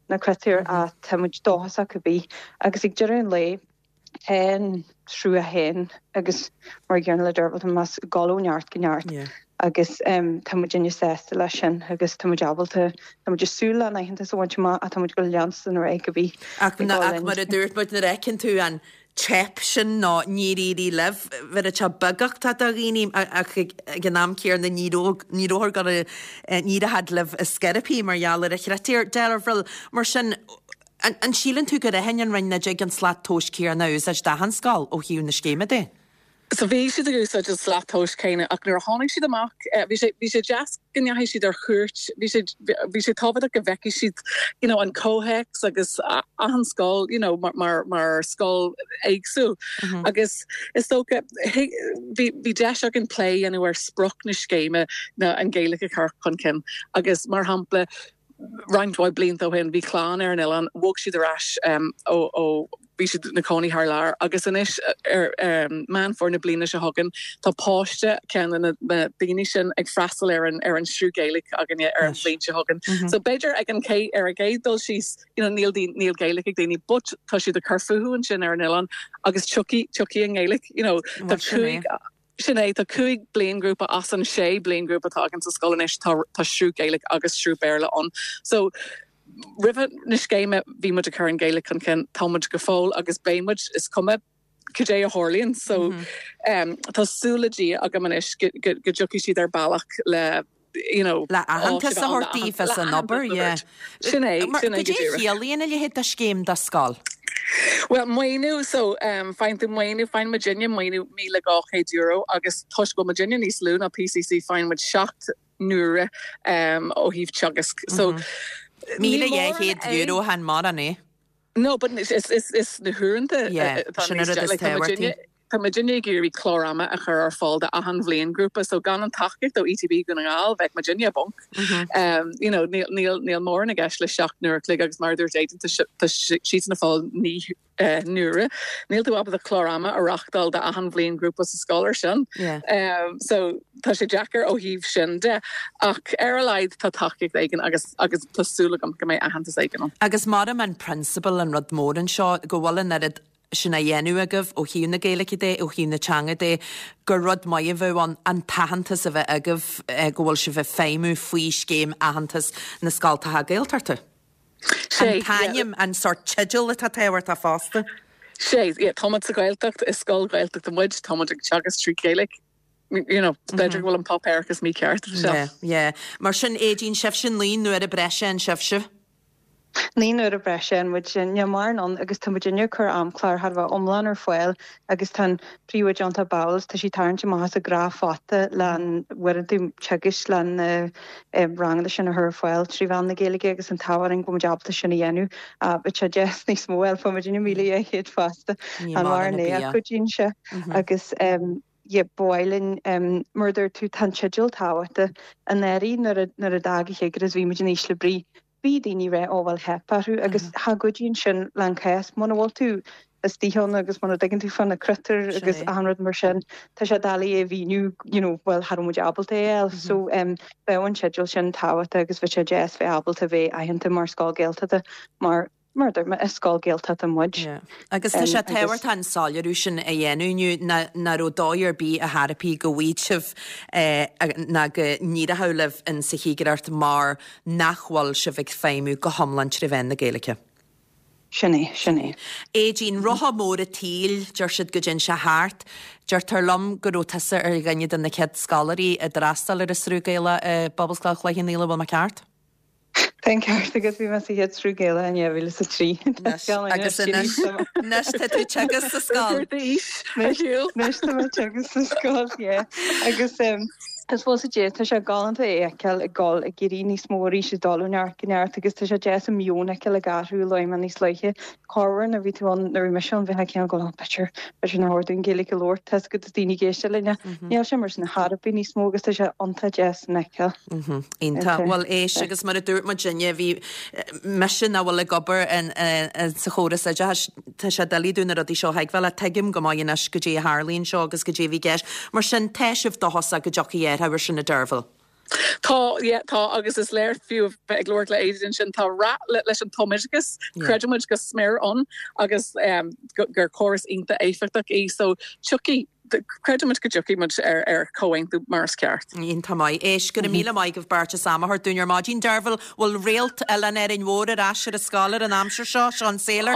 na critéir a tá muid dóchasach cibé agus ag deireadh an lae tá an sruth féin agus mar gcéanna le Deirbhile más gá ó neart go neart. agus um, tá muidinne sásta leis sin agus tá muid ábalta tá muid súil an aitheantas a bhaint amach tá muid go leanstan ar aghaidh go bhí. Ach ach mar a dúirt muid nuair a fheiceann tú an teip sin ná níor éirigh libh bhí sé beagach tá do dhaoine ach ag an am céanna ní ní raibh go ní raibh libh a sceirpí mar gheall ar a chritéir Deirbhile mar sin An síleann tú gur aithin an Roinn nach dtig an slat tomhais céanna a úsáid d'achan scoil ó thaobh na scéime de? So bhí siad ag úsáid an slat tomhais céanna ach nuair a tháinig siad amach bhí sé bhí sé deas go ndeachaigh siad ar chuairt, bhí sé bhí sé tábhachtach go bhfeicfidh siad you know an comhthéacs agus achan scoil you know mar mar mar scoil éagsúil mm -hmm. agus is dócha bhí bhí deis againn plé a dhéanamh ar sprioc na scéime ná an Ghaeilge a chur chun cinn agus mar shampla roinnt mhaith blianta ó shin bhí clann ar an oileán bhog siad ar ais um, ó ó bhí siad ina gcónaí thar lear agus anois ar um, Meán Fómhair na bliana seo chugainn tá páiste ceann de na daoine sin ag freastal ar an ar an sruth Gaeilge againne ar an bhliain seo chugainn. Mm -hmm. So b'fhéidir ag an cé ar a gcéad dul síos you know, níl níl Gaeilge ag daoine, but tá siad ag cur fúthu ansin ar an oileán agus tiocfaidh tiocfaidh an Ghaeilge you know, tá cúig Sin é tá cúig bliaingrúpa as an sé bliaingrúpa atá againn sa scoil anois tá tá sruth Gaeilge agus sruth Béarla ann. So roimh na scéime bhí muid ag cur an Ghaeilge chun cinn tá muid go fóill agus beidh muid is cuma cad é a tharlaíonn so mm -hmm. um, tá súil le Dia agam anois go dtiocfaidh siad ar bealach le you know le aitheantas a thabhairt daoibh as an obair yeah. Sin é sin é Cad é a chiallaíonn a leithéid de scéim do scoil? Well maoiniú so um, faigheann tú maoiniú faigheann muidinne maoiniú míle dhá chéad euro agus toisc go bhfuil muidinne níos lú ná PCC faigheann muid seacht n-uaire um, ó thaobh teagasc. So mm -hmm. Míle dhá chéad euro chan mórán é. No, but is is is na huaireanta yeah, sin an rud is tábhachtaí. Tá muidinne ag iarraidh clár ama a chur ar fáil do achan bhliaingrúpa, so gan an tacaíocht ó ETB Dhún na nGall bheadh muidinne i bponc. Um, you know, níl níl níl mórán i gceist le seacht n-uair a chloig agus mar a dúirt Aidan tá tá siadsan ag fáil naoi uh, n-uaire. Níl tú ábalta clár ama a reáchtáil do achan bhliaingrúpa sa scoil ar sin. Yeah. Um, so tá sé deacair ó thaobh sin de ach ar a laghad tá tacaíocht éigin agus agus tá súil agam go mbeidh aitheantas éigin ann. Agus mar an prionsabal an rud mór anseo go bhfuil an oiread sin á dhéanamh agaibh ó thaobh na Gaeilge de, ó thaobh na teanga de, gur rud maith a bheadh ann an t-aitheantas a bheith agaibh go bhfuil sibh ag feidhmiú faoi scéim aitheantas na scoltacha Gaeltachta. An t-ainm, an sórt teideal atá tábhachtach fosta. Sé, yeah, tá muid sa Ghaeltacht, is scoil Ghaeltachta muid, tá muid ag teagasc trí Ghaeilge. You know, b'fhéidir go bhfuil an páipéarachas mícheart. Yeah, yeah. Mar sin Aideen sibhse naoi n-uaire breise an sibhse? Naoi n-uaire breise an muid sin, níl mórán ann agus tá muid ag cur amchlár thar a bheith iomlán ar fáil agus tá an príomhoide John Bowles, tá sí tarraingt amach as a gnáthphota le uaireanta teagaisc le na ranganna sin a chur ar fáil trí mheán na Gaeilge agus an t-ádh orainn go bhfuil muid ábalta sin a dhéanamh. Bheadh sé deas níos mó a fháil, fuair muid míle dhá chéad fosta. An mórán é a chuidíonn sé agus yeah, ba mhaith linn mar a dúirt tú tá an teideal tábhachtach. Anuraidh nuair a nuair a d'fhág an chigireacht is bhí muid in ísle brí. Bhí daoine ag rá ó bhuel theip orthu agus cha gcuidíonn sin le an cás. Muna bhfuil tú istigh ann agus muna dtuigeann tú fá na critéir agus achan rud mar sin, tá sé doiligh é a mhíniú you know bhuel cha raibh muid ábalta é a fháil. So um bheadh an teideal sin tábhachtach agus bheadh sé deas bheith ábalta bheith aitheanta mar scoil Gaeltachta mar mar a dúirt mé, is scoil Gaeltachta muid. Yeah. Agus tá sé tábhachtach an soiléiriú sin a dhéanamh inniu nach raibh dóigh ar bith ar chor ar bith go bhfaighidh sibh ná go n-éireoidh libh in sa chigireacht mar nach bhfuil sibh ag feidhmiú go hiomlán trí mheán na Gaeilge. Sin é, sin é. Aideen, rotha mór an tsaoil, deir siad go dtéann sé thart. Deirtear liom go raibh tusa ar dhuine de na chéad scoláirí a d'fhreastail ar an Sruth Gaelach i bPobalscoil Chloich Cheann Fhaola, bhfuil mé ceart? Tá an ceart agat, bhí mé sa chéad sruth Gaelach in dhá mhíle is a trí. Agus anois, anois tá tú ag teagasc sa scoil. Anois tá mé ag teagasc sa scoil, yeah. Agus is bhuel sea, tá sé galánta é a fheiceáil ag dul ag éirí níos mó arís, ag dul ó neart go neart agus tá sé deas an meon a fheiceáil ag athrú ó lá níos luaithe. Corruair nuair a bhí tú ann, nuair a bhí mise ann, bheifeá cineál ag dul, oh b'fhéidir, b'fhéidir nár chóir dúinn Gaeilge a labhairt, tá a fhios agat daoine ag éisteacht linn. Níl sé mar sin ar chor ar bith níos mó agus tá sé iontach deas a fheiceáil. Iontach. Bhuel, éist, agus mar a dúirt muidinne, bhí mise nach bhfuil ag obair sa chóras oideachais, tá sé doiligh dúinn na rudaí seo a thuigbheáil ach tuigim go maith anois goidé a tharlaíonn seo agus goidé a bhí i gceist. Mar sin, tá sibh dóchasach go dtiocfaidh athrú air sin a Deirbhile. Tá, yeah, tá, agus is léir fiú a bheith ag labhairt le Aideen ansin, tá rath leis an tumoideachas, creideann muid go smior ann agus gur córas iontach éifeachtach í, so tiocfaidh Creideann muid go dtiocfaidh muid ar ar chomhaontú mar is ceart. Iontach maith. Éist, go raibh míle maith agaibh beirt as am a thabhairt dúinn ar maidin. Deirbhile, bhfuil réalt Oileán Árainn Mhór ar ais ar an scoil ar an aimsir seo, Sean Sailor?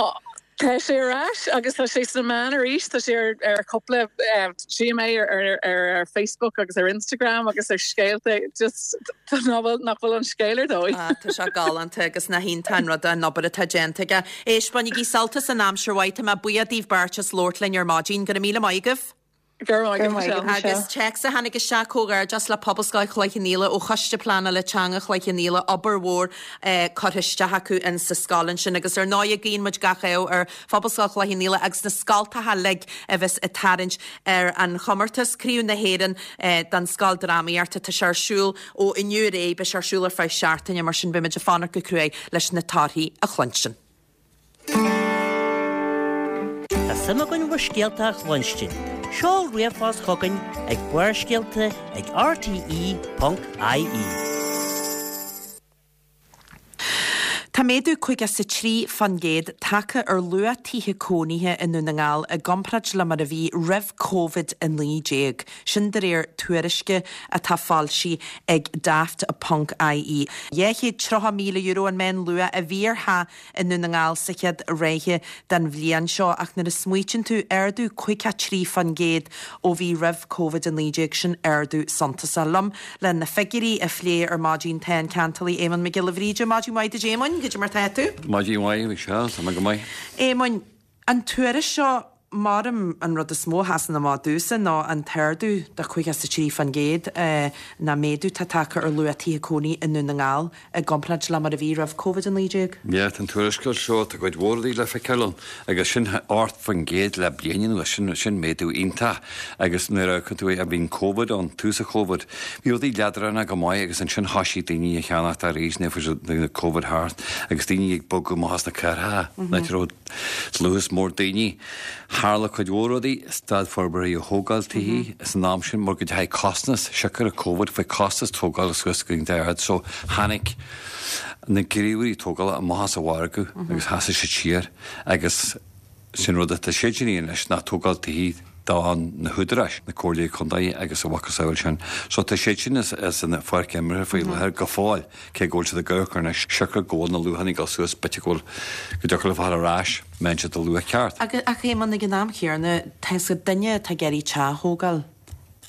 Tá sé ar ais agus tá sé sna meáin arís tá sé ar ar cúpla tchím é ar ar ar ar Facebook agus ar Instagram agus ar scéalta just nach bhfuil nach bhfuil an scéal ar dóigh. Ah, tá sé galánta agus nach iontach an rud an obair atá déanta aige. Éist bainigí sult as an aimsir mhaith tá mé buíoch daoibh beirt as labhairt linn ar maidin go raibh míle maith agaibh. Go raibh maith agat, Michelle. Agus téacs a tháinig isteach comhghairdeas le Pobalscoil Chloich Cheann Fhaola ó Choiste Pleanála Teanga Chloich Cheann Fhaola obair mhór eh, curtha isteach acu in sa scoil ansin agus ar ndóigh guíonn muid gach ádh ar Phobalscoil Chloich Cheann Fhaola agus na scoltacha uilig a bheas ag tarraingt ar an chomórtas Craobh na hÉireann eh, don scoil drámaíochta tá sé ar siúl ó inniu ar aghaidh beidh sé ar siúl ar feadh seachtaine mar sin beimid ag fanacht go cruaidh leis na torthaí a chluinstin. Tá suim againn bhur scéalta a chluinstin. Seol ríomhphost chugainn ag Barrscéalta ag rte.ie. Tá méadú caoga is a trí faoin gcéad tagtha ar luach tithe cónaithe i nDún na nGall i gcomparáid le mar a bhí roimh Covid a naoi déag. Sin de réir tuairisce atá foilsithe ag Daft ponc IE. Dhá chéad tríocha míle euro an meánluach a bhí ar theach i nDún na nGall sa chéad ráithe den bhliain seo ach nuair a smaoitíonn tú ardú caoga trí faoin gcéad ó bhí roimh Covid a naoi déag sin ardú suntasach liom le na figiúirí a phlé ar maidin tá an ceantálaí Éamonn Mac Giolla Bhríde maidin mhaith duit Éamoinn, goidé mar tá tú? Maidin mhaith Michelle, tá mé go maith. Éamoinn, an tuairisc seo maram an rud is mó a sheasann amach domhsa ná an t-ardú de caoga a trí faoin gcéad ná méadú tá tagtha ar luach tithe cónaí i nDún na nGall i gcomparáid le mar a bhí roimh Covid a naoi déag. Yeah, tá an tuarascáil seo tá cuid mhór rudaí le feiceáil ann agus sin ocht faoin gcéad le bliain anuas sin sin méadú iontach agus nuair a tú a bhíonn Covid ann tús an Covid bhí rudaí leadránach go maith agus ansin thosaigh daoine a cheannacht arís nuair a Covid thart agus daoine ag bogadh amach as na cathracha na raibh dlús mór daoine. Tharla cuid mhór rudaí stad forbartha a thógáil tithe san am sin mar go dteachaigh costas siocair Covid faoi costas tógála suas go ard so tháinig na gníomhairí tógála amach as an mhargadh agus sheasaigh siad siar agus sin rud atá siad sin anois ná tógáil tithe do na húdaráis na comhairlí contae agus a mhacasamhail sin. So tá siad sin as, as an pháirc imeartha faoi láthair go fóill cé go bhfuil siad ag amharc anois siocair go bhfuil na luachanna ag dul suas b'fhéidir go bhfuil go dtiocfadh le fáil ar ais mbeidh siad a luach ceart. Ach ach Éamonn ag an am chéanna tá sa duine atá ag iarraidh teach a thógáil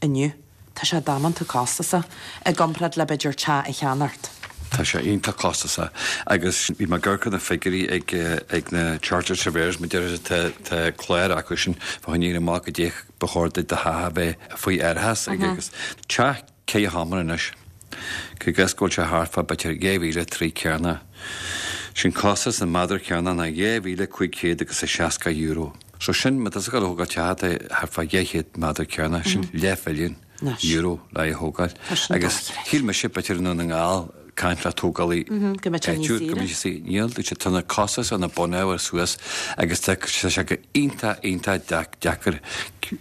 inniu. Tá sé damanta costasach i gcomparáid le b'fhéidir teach a cheannacht. Tá sé iontach costasach agus bhí mé ag amharc ar na figiúirí ag ag na Chartered Surveyors mar deir tá tá clár acu sin fá choinne amach go dtéich ba chóir duit do theach a bheith faoi árachas ag agus teach ceithre sheomra anois. Go gus go bhfuil sé thart fá b'fhéidir dhá mhíle trí cearna. Sin costas an méadar cearna ná dhá mhíle cúig chéad agus a seasca euro. So sin má tá tú ag thógáil teach atá thart fá dhá chéad méadar cearna sin leathmhilliún euro le é a thógáil. Agus shíl mise b'fhéidir i nDún na nGall caint le tógálaí go mbeidh sé níos áitiúil, go saoire. mbeidh sé níl dúirt sé tá na costas ar na bunábhair suas agus tá sé go iontach iontach deac- deacair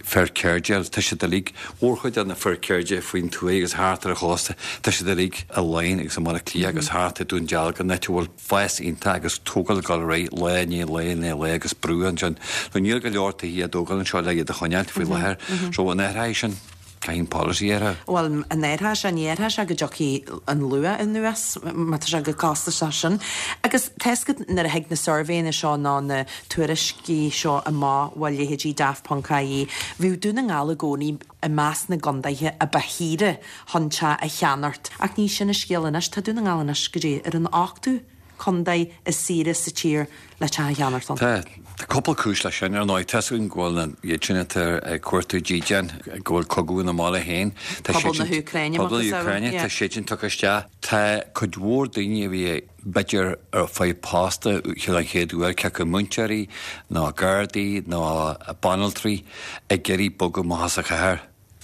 fear ceirde tá siad uilig mórchuid de na fir ceirde faoin tuath agus thart ar an chósta tá siad uilig i Laighin agus i mBaile Átha Cliath agus thart i Dún Dealgan áit a bhfuil fás iontach agus tógáil ag dul ar aghaidh lá i ndiaidh lae i ndiaidh lae agus brú ansin. So níl go leor tithe á dtógáil anseo le iad a choinneáil faoi láthair. So an athraithe sin caithfidh policy air. Well an athraithe sin ní athraithe sé go dtiocfaidh an luach anuas má tá sé go costasach sin. Agus tá a fhios agat nuair a thig na suirbhéanna seo ná na tuairiscí seo amach ó leithéidí Daft.ie, bhí Dún na nGall i gcónaí i measc na gcontaetha a ba shaoire chun teach a cheannacht. Ach ní sin an scéal anois, tá Dún na nGall anois go dtí ar an ochtú contae is saoire sa tír le teach a cheannacht ann. Tá tá cúpla cúis leis sin ar ndóigh tá súil go bhfuil na iad sin atá ag cuartú dídean go bhfuil cogadh ina mbaile féin. Tá Pobal siad na sin- hÚcráine, Pobal na macasamhail, hÚcráine, yeah. tá siad sin tugtha isteach. Tá cuid mhór daoine a bhí b'fhéidir ar fáil posta an chéad uair cé acu múinteoirí nó gardaí nó banaltraí ag iarraidh bogadh amach as an chathair.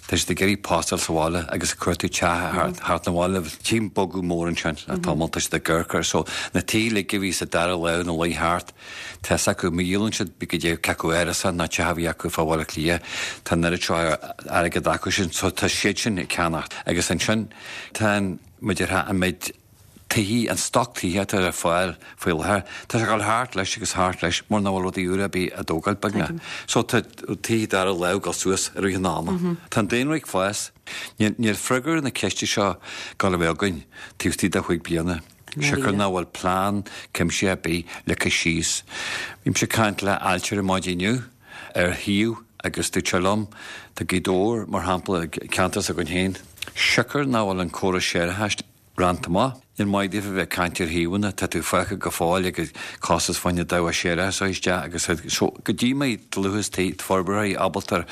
Tá siad ag iarraidh postáil sa bhaile agus ag cuartú teach thart thart na bhaile tím bogadh mór ansin le tamall tá siad ag amharc air. So na tithe uilig a bhí sa dara lámh na luí thart tá acu má dhíolann siad bí go dtí cé acu árasán ná teach a bhí acu fá Bhaile Átha Cliath tá an oiread seo airgead acu sin so tá siad sin ag ceannacht agus ansin tá an muidir an méid tithe an stoc tithe atá ar fáil faoi láthair tá sé ag dul thart leis agus thart leis mar nach bhfuil rudaí úra ar bith á dtógáil beagnach. So tá tithe dara lámh ag dul suas i rith an ama. Tá an daonra ag fás. Níl níl freagra na ceiste seo ag dul a bheith againn taobh istigh de chúig bliana. Siocair nach bhfuil plean cuimsitheach ar bith leagtha síos. Bhí mise ag caint le ailtire maidin inniu ar shuíomh agus dúirt sé liom, tá Gaoth Dobhair, mar shampla, ceantar s'againn féin, siocair nach bhfuil an córas séarachais rannta amach. Níl maith daofa bheith ag caint ar shuíomhanna, tá tú fágtha go fóill ag costas fá choinne dabhach séarachais a isteach agus so go dtí mbeidh dlúthas tí forbartha ábalta ar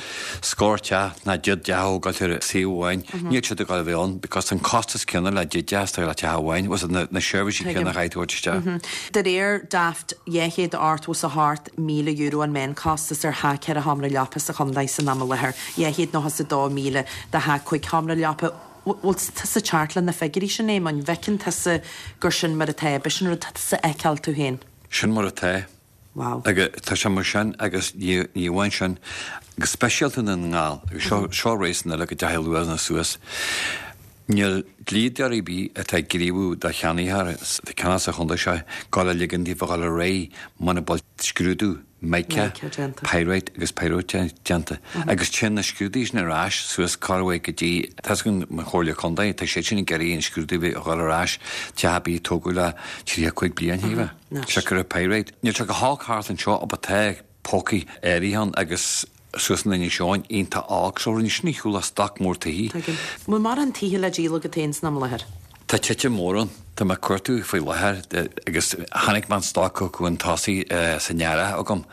scór teach ná deich dteach a thógáil ar suíomh amháin, níl siad ag dul a bheith ann because an costas céanna le deich dteach is atá le teach amháin, was na, na seirbhísí céanna a chaithfidh tú a thabhairt isteach. De réir Daft, dhá chéad ochtó is a hocht míle euro an meánchostas ar theach ceithre sheomra leapa sa chontae san am i láthair, dhá chéad nócha is a dó míle do theach cúig sheomra leapa. Bhfuil tusa ceart le na figiúirí sin, Éamoinn? Bhfeiceann tusa gur sin mar atá, b'shin rud atá tusa a fheiceáil tú féin? Sin mar atá. Wow. Agus tá sé mar sin agus ní ní amháin sin, go speisialta i nDún na nGall, agus seo seo réasún eile go dteachaigh luachanna suas. Níl dlíodóir ar bith atá ag gníomhú do cheannaitheoir atá ag ceannach sa chontae seo dul a ligean daofa dhul ar aghaidh muna bhfuil scrúdú mica, pyrite agus pyrrhotite déanta. Agus téann na scrúduithe sin ar ais suas corruair go dtí, tá a fhios agam mo Chomhairle Contae, tá siad sin ag iarraidh an scrúdú a dhul ar ais, teach ar bith a tógadh le tríocha cúig bliain, shílfeá. Siocair an pyrite. Níl sé go holc thart anseo but tá pócaí áirithe ann agus suas in Inis Eoghain iontach olc so rinne sin ar shiúl as stoc mór tithe. Tuigim. Bhfuil mórán tithe le díol agat féin san am i láthair? Tá titim mór ann. Tá mé ag cuartú faoi láthair agus chonaic mé an stoc chucu chun tosaigh san earrach agam.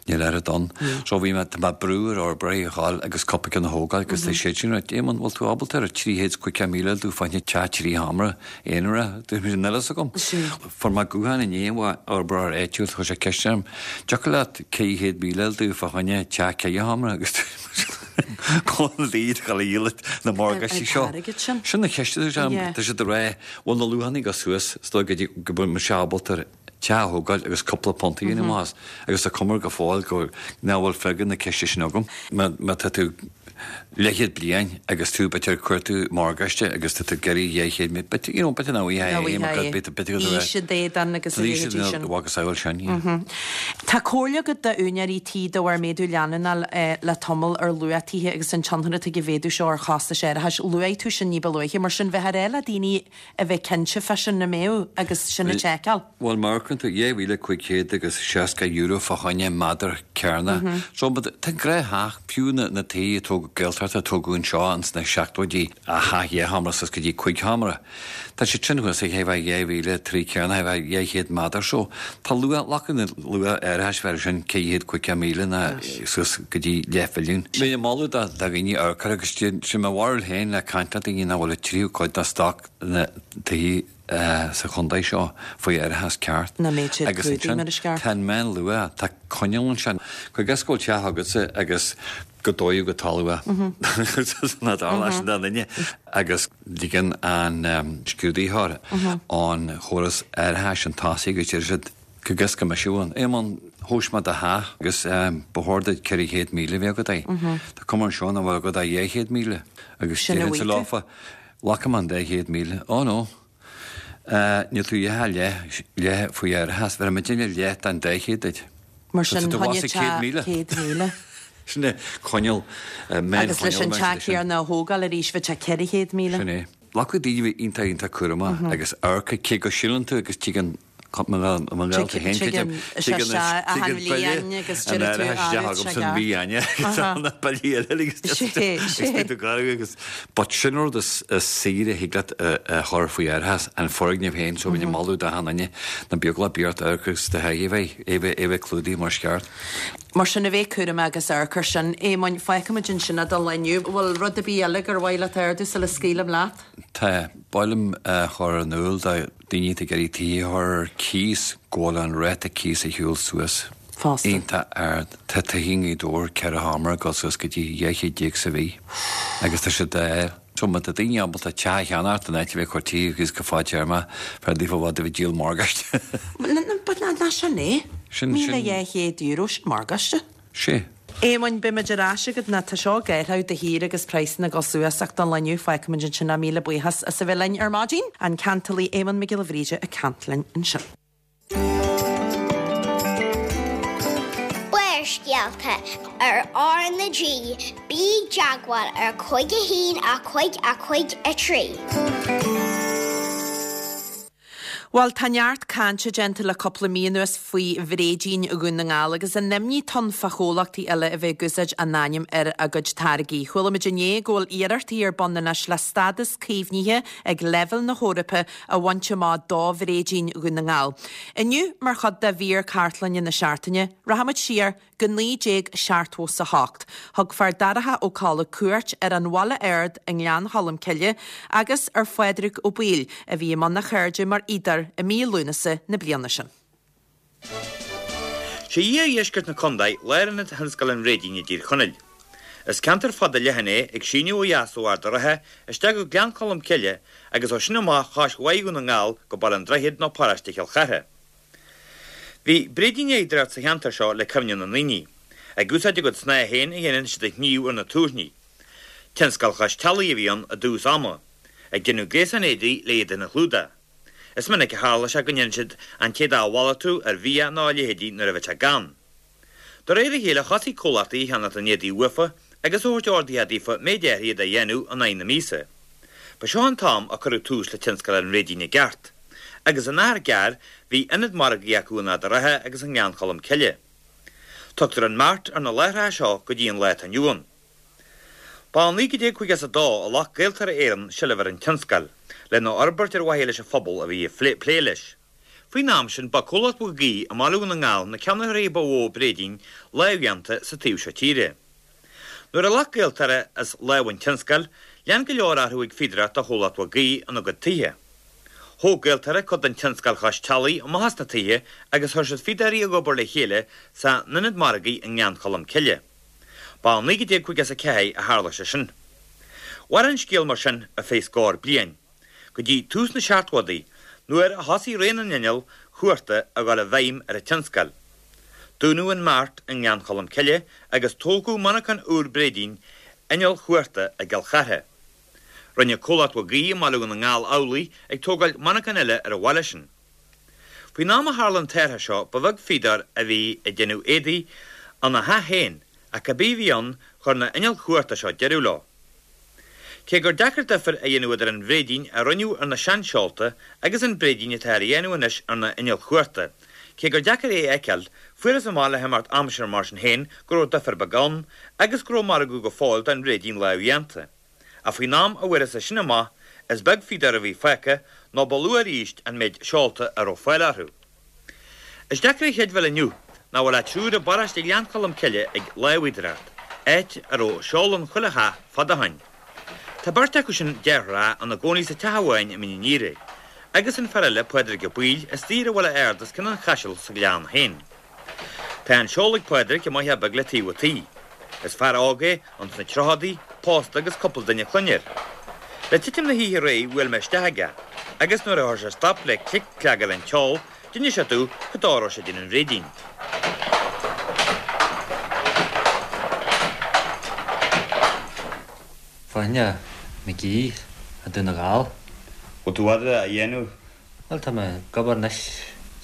Níl oiread ann. So bhí mé, tá mé ag brú ar fhorbróirí a dhul agus cúpla ceann a thógáil agus tá siad sin ag rá, Éamonn, bhfuil tú ábalta ar trí chéad is caoga míle a fháil fá choinne teach trí sheomra aonarach? Dúirt mé, níl fhios agam. Fuair mé guthán inné ó fhorbróir áitiúil, chuir sé ceist orm, dtiocfadh leat ceithre chéad míle a fháil fá choinne teach ceithre sheomra agus dúirt mé, Cá bhfuil iad ag dul a dhíol na morgáistí seo? Sin an cheist atá agam. Tá siad ag rá, bhfuil na luachanna ag dul suas, is dóigh go dtí go bhfuil mise ábalta teach a thógáil agus cúpla punt a dhéanamh amach as. Agus tá cuma go fóill go nach bhfuil freagra na ceiste sin agam. Má tá tú leathchéad bliain agus tú b'fhéidir ag cuartú morgáiste agus tá tú ag iarraidh dhá chéad míle, b'fhéidir, you know, b'fhéidir nach bhfaighidh é, mar b'fhéidir go raibh. Aois a d'éadan agus a leithéidí sin. Agus amhail sin, yeah. Tá comhairle agat d'úinéirí tí de bharr méadú leanúnach le tamall ar luach tithe agus an tionchar atá ag an mhéadú seo ar chostais árachais. Luaigh tú sin ní ba luaithe, mar sin bheith ar le daoine a bheith cinnte fá sin na mbeadh agus sin a tseiceáil. Bhuel, mar a tú dhá mhíle cúig chéad agus seasca euro fá choinne méadar cearnach. So, but tá gnáth-theach, fiú na na tithe a tógadh Gaeltacht a tógadh anseo ins na seachtóidí, a theach dhá sheomra suas go dtí cúig sheomra. Tá siad sin thuas ag bheith dhá mhíle trí cearnach, a bheith dhá chéad méadar. So, tá luach, luach na luach árachais bheith sin ceithre chéad caoga míle ná suas go dtí leathmhilliún. Bheinn ag moladh do dhaoine amharc air agus sin mo bharúil féin le caint le daoine nach bhfuil an tríú cuid de stoc na tithe sa chontae seo faoi árachas ceart. Nach mbeadh siad Agus clúdaithe ansin mar is ceart. tá an meánluach, tá coinníoll ansin. Cuir i gcás go bhfuil teach agatsa agus go dódh go talamh é. Ná dar leis an dá duine. Agus ligeann an scrúdaitheoir an chóras árachais chun tosaigh agus deir siad go gcas go mise ann. Éamonn, thomhais mé do theach agus ba chóir duit ceithre chéad míle a bheith agat air. Tá cuma anseo nach bhfuil agat ach dhá chéad míle. Agus Sin a déarfainnse bhfuil tú. leofa, Ghlacfaidh mé an dá chéad míle. Ó no. Níl tú a dhath leith, leith faoi árachas. Bhéarfaidh muidinne leath den dá chéad duit. Mar Tá sin, tú choinnigh abhus ag céad teach míle. céad míle. Sin é coinníoll, Agus leis meánchoinníoll an mar teach sin. céanna a thógáil arís, bheadh sé ceithre chéad míle. Sin é. Glacfaidh daoine a bheith iontach, iontach cúramach agus amharc cé go síleann tú agus tuigeann mo ghaolta féin, Tuigeann sé tuigeann seo achan tuigeann bhliain buille agus an deir tú árachais isteach ah, agam sé san ceart. mhí Eanáir agus Aha. na billí eile agus Sé, agus sé. bíonn tú garbh agus but sin rud is is saoire a thig leat a a chur faoi árachas an foirgneamh féin so bheinn ag moladh d'achan duine na beag le beart amharc agus do theach a bheith é bheith é bheith clúdaithe mar is ceart. Mar sin a bheith cúramach agus amharc air sin, Éamoinn, fágfaimid ansin é don lá inniu. Bhfuil rud ar bith eile gur mhaith leat a ardú sula scaoilim leat? Tá, ba mhaith liom a chur in iúl do daoine atá ag iarraidh tithe a chur ar cíos go bhfuil an ráta cíos ag siúl suas Fosta. iontach ard. Tá tithe i nGaoth Dobhair ceithre sheomra ag dul suas go dtí dhá chéad déag sa mhí agus tá siad á So má tá daoine ábalta teach a cheannacht in áit a bheith ag cur tithe ar cíos go fadtéarmach, b'fhearr daofa i bhfad a bheith ag díol morgáiste. But ná sin é. Sin- Míle sin- dhá chéad euro sin morgáiste. Sé. Éamoinn, beimid ar ais agat ná tá seo ag athrú de shíor agus praghsanna ag dul suas ach don lá inniu fágfaimid ansin é míle buíochas as a bheith linn ar maidin. An ceantalaí Éamonn Mac Giolla Bhríde ag caint linn ansin. Barrscéalta ar R na G, bí i dteagmháil ar cúig a haon a cúig a cúig a trí. Bhuel, tá neart cainte déanta le cúpla mí anuas faoi bhréidín Dhún na nGall agus an imní atá ann fá chomhlachtaí eile a bheith ag úsáid a n-ainm ar a gcuid táirgí. Chuala muid inné go bhfuil iarrachtaí ar bun anois le stádas caomhnaithe ag leibhéal na hEorpa a bhaint amach do bhréidín Dhún na nGall. Inniu, mar chuid de mhír cartlainne na seachtaine, rachaimid siar go naoi déag seachtó 's a hocht. Thug Feardorcha Ó Colla cuairt ar an Bhaile Ard i nGleann Cholm Cille agus ar Phádraig Ó Baoill, a bhí i mbun a cheirde mar fhíodóir i mí Lúnasa na bliana sin. Sé iardheisceart na contae lárionad thionscal an bhréidín i dTír Chonaill. Is ceantar fada leathan é, ag síneadh ó dheas ó Ard a' Rátha isteach go Gleann Cholm Cille agus ó sin amach cois Bhaile Dhún na nGall go Baile an Droichid nó paróiste Chill Chartha. Bhí bréidínfhíodóireacht sa cheantar seo le cuimhne na ndaoine. Ag úsáid a gcuid snáithe féin a dhéanann siad a shníomh ar na tuairní. Tionscal chois teallaigh a bhí ann i dtús ama, ag déanamh gréasán éadaí le iad féin a chlúdach. Is minic a tharla sé go ndéanann siad an t-éadach a mhalartú ar bhia nó a leithéidí nuair a bheadh sé gann. De réir a chéile thosaigh comhlachtaí a cheannacht an éadaí uafa agus a thabhairt ordaithe daofa méid áirithe a dhéanamh in aghaidh na míosa. Ba seo an t-am a cuireadh tús le tionscal an bhréidín i gceart. Agus in achar gearr bhí ionad margaidh acu in Ard a' Rátha agus i nGleann Cholm Cille. Tugtar an Mart ar na láithreacha seo go dtí an lá atá inniu ann. Ba i naoi déag caoga is a dó a ghlac Gaeltarra Éireann seilbh ar an tionscal, lena fhorbairt ar mhaithe leis an phobal a bhí ag plé leis. Faoin am sin ba Comhlacht Mhig Aoidh i mBaile Dhún na nGall na ceannaitheoirí ba mhó bréidín lámhdhéanta sa taobh seo tíre. Nuair a ghlac Gaeltarra as lámh an tionscail, lean go leor orthu ag fíodóireacht do Chomhlacht Mhig Aoidh ina gcuid tithe. Thóg Gaeltarra cuid den tionscal chois teallaigh amach as na tithe agus chuir siad fíodóirí ag obair le chéile san ionad margaidh i nGleann Cholm Cille. Ba i naoi déag caoga is a ceathair a tharla sé sin. Mhair an scéal mar sin ar feadh scór bliain, go dtí tús na seachtóidí, nuair a thosaigh ré na n-inneall chuarta a dhul i bhfeidhm ar an tionscal. Dúnadh an Mart i nGleann Cholm Cille agus tógadh monarchan úr bréidín innill chuarta i gCill Chartha. Rinne Comhlacht Mhig Aoidh i mBaile Dhún na nGall amhlaidh, ag tógáil monarchan eile ar an bhaile sin. Faoin am a tharla an t-athrach seo ba bheag fíodóir a bhí ag déanamh éadaí ina theach féin, ach cibé a bhí ann, chuir na innill chuarta seo deireadh leo. Cé gur deacair difear a dhéanamh idir an bhréidín a rinneadh ar na seanseolta agus an bréidín atá á dhéanamh anois ar na innill chuarta, cé gur deacair é a fheiceáil, fuarthas amach le himeacht aimsire mar sin féin go raibh difear beag ann agus go raibh margadh go fóill don bhréidín lámhdhéanta. Ach faoin am a bhfuarthas é sin amach, is beag fíodóir a bhí fágtha, nó ba lú arís an méid seolta a raibh fáil orthu. Is deacair a chreidbheáil inniu nach bhfuil ach triúr i bparóiste Ghleann Cholm Cille ag lámhfhíodóireacht, áit a raibh seol in chuile theach fad ó shoin. Tá beirt acu sin, deartháireacha, ina gcónaí sa teach amháin i Mín an Iarthair, agus an fear eile, Pádraig Ó Baoill, istigh ar an Bhaile Ard os cionn an Chaisil sa Ghleann féin. Tá an seol ag Pádraig i mboitheach beag le taobh an tí. Is fear óg é, ins na tríochadaí, pósta agus cúpla duine clainne air. Le titim na hoíche aréir bhuail mé isteach aige, agus nuair a chuir sé stop le clic cleagáil an tseoil, d'inis sé domh cad dó a raibh sé ag déanamh an bhréidín. Fáinne McGee i Dún na nGall. Bhfuil tú i bhfad á dhéanamh? Bhuel, tá mé ag obair anois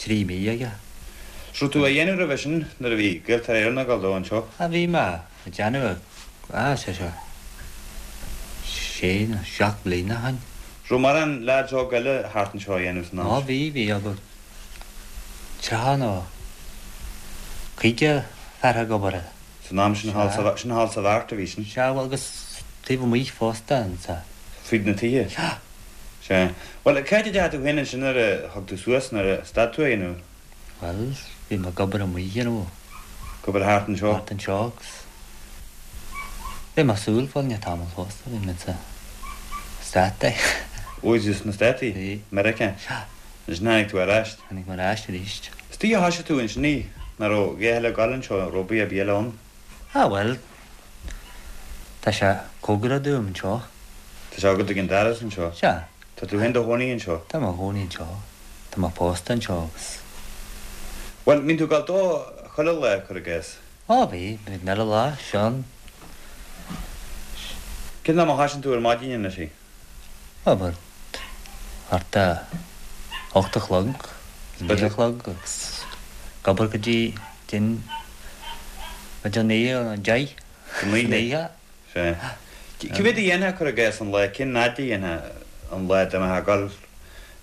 trí mí aige. 'S raibh tú á dhéanamh roimhe sin nuair a bhí Gaeltarra Éireann ag dul dó anseo? Ah, bhí mé ag déanamh, ah, sé seo sé nó seacht mbliana ó shin. 'S raibh mórán lads óga eile thart anseo á dhéanamh san am Á, sin? bhí, bhí about tríocha nó caoga fear ag obair air. San am sin thall sa, sin thall sa Mhart a bhí sin? Sea, bhuel agus taobh amuigh fosta ansa. Fríd na tithe? Sea. Sea. Bhuel, cá háit a dteachaigh tú féin ansin nuair a thug tú suas, nuair a stad tú a dhéanamh? Bhuel, bhí mé ag obair amuigh, you know. Ag obair thart anseo? Thart anseo agus bhí mé ar shiúl fá choinne tamall fosta, bhí mé sna Státaí. Bhí tú sna Státaí? Bhí. Meiriceá? Sea. Ansin tháinig tú ar ais? Tháinig mé ar ais arís. Is tuige a thoisigh tú ansin í, nach raibh a dhath eile ag gabháil anseo, raibh obair ar bith eile ann? Ah, bhuel, tá sé cóngarach dom anseo. Tá sé agat ag an doras anseo? Sea. Tá tú féin do chónaí anseo? Tá mé i mo chónaí anseo. Tá mé pósta anseo agus. Bhuel, mbíonn tú ag gabháil dó chuile lá, cuir i gcás? Á, bhí, bhí an uile lá, Seán. Cén am a thoisíonn tú ar maidin anois í? About thart a hocht a chlog, naoi a chlog agus ag obair go dtí din, b'fhéidir a naoi nó a deich. San oíche? Sea. Cé mhéad a dhéanfá, cuir i gcás, an lá, cén fhad a dhéanfá an lá dá mbeifeá ag dul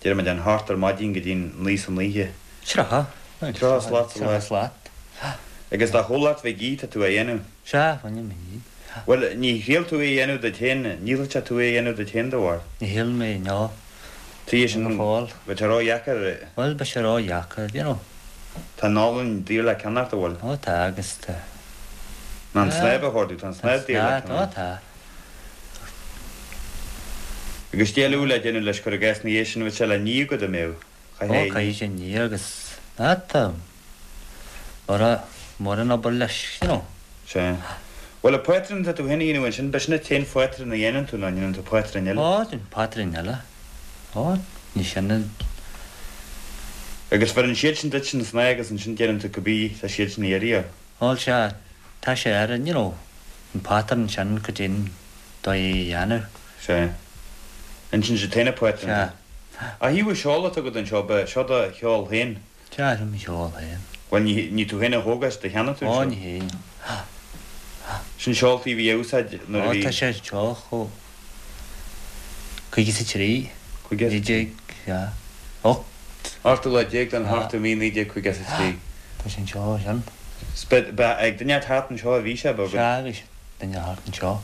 déarfaidh muid an hocht ar maidin go dtí an naoi san oíche. Tríocha. Tríocha slat sa lá. Tríocha slat. Agus do chomhlacht bheith ag ithe tá tú á dhéanamh. Sea, bhaineann mé í. Bhuel, ní thriail tú é a dhéanamh duit féin, ní thriailfeadh tú é a dhéanamh duit féin do bharr. Ní shíl mé, no. Tuige sin, Go fóill. bheadh sé ró-dheacair. Bhuel, beidh sé ró-dheacair, you know. Tá an olann daor le ceannacht, an bhfuil? Ó tá, agus tá. Ná an snámh a chóir, tá an snámh daor le ceannacht. Ó tá. Agus d'éileodh le déanamh leis cur i gcás na dhiaidh sin, bheadh sé le ní agat a mbeadh. Ó, caithfidh sé ní agus, ná tá. Mura, mura an obair leis, you know. Sea. Bhuel, an pátrún atá tú féin a dhéanamh ansin, b'shin an t-aon phátrún a dhéanann tú nó an ndéanann tú pátrún eile? Ó, déanaim pátrún eile. Ó, ní sin an. Agus bheireann siad sin duit an snáth agus ansin déanann tú cibé tá siad sin a iarraidh. Bhuel, sea, tá sé ar an, you know, an pátrún sin go dtí an dóigh a dhéanamh. Sea. Ansin sé t-aon phátrún. Sea. A thaobh an seol atá agat anseo, ba seo do sheol féin? Sea, seo mo sheol féin. Bhuel, ní, ní tú féin a thóg é, do cheannaigh tú an Ó, seol? ní hé. Sin seoltaí a bhí a úsáid nuair a Ó, bhí. tá sé anseo chomh caoga is a trí. Caoga is a Naoi déag, sea, ocht. Ochtú lá déag den ochtú mí naoi déag caoga is a trí. Tá sé anseo, sin. 'S ba, ba ag duine thart anseo a bhí sé, ba. Sea, bhí sé duine thart anseo.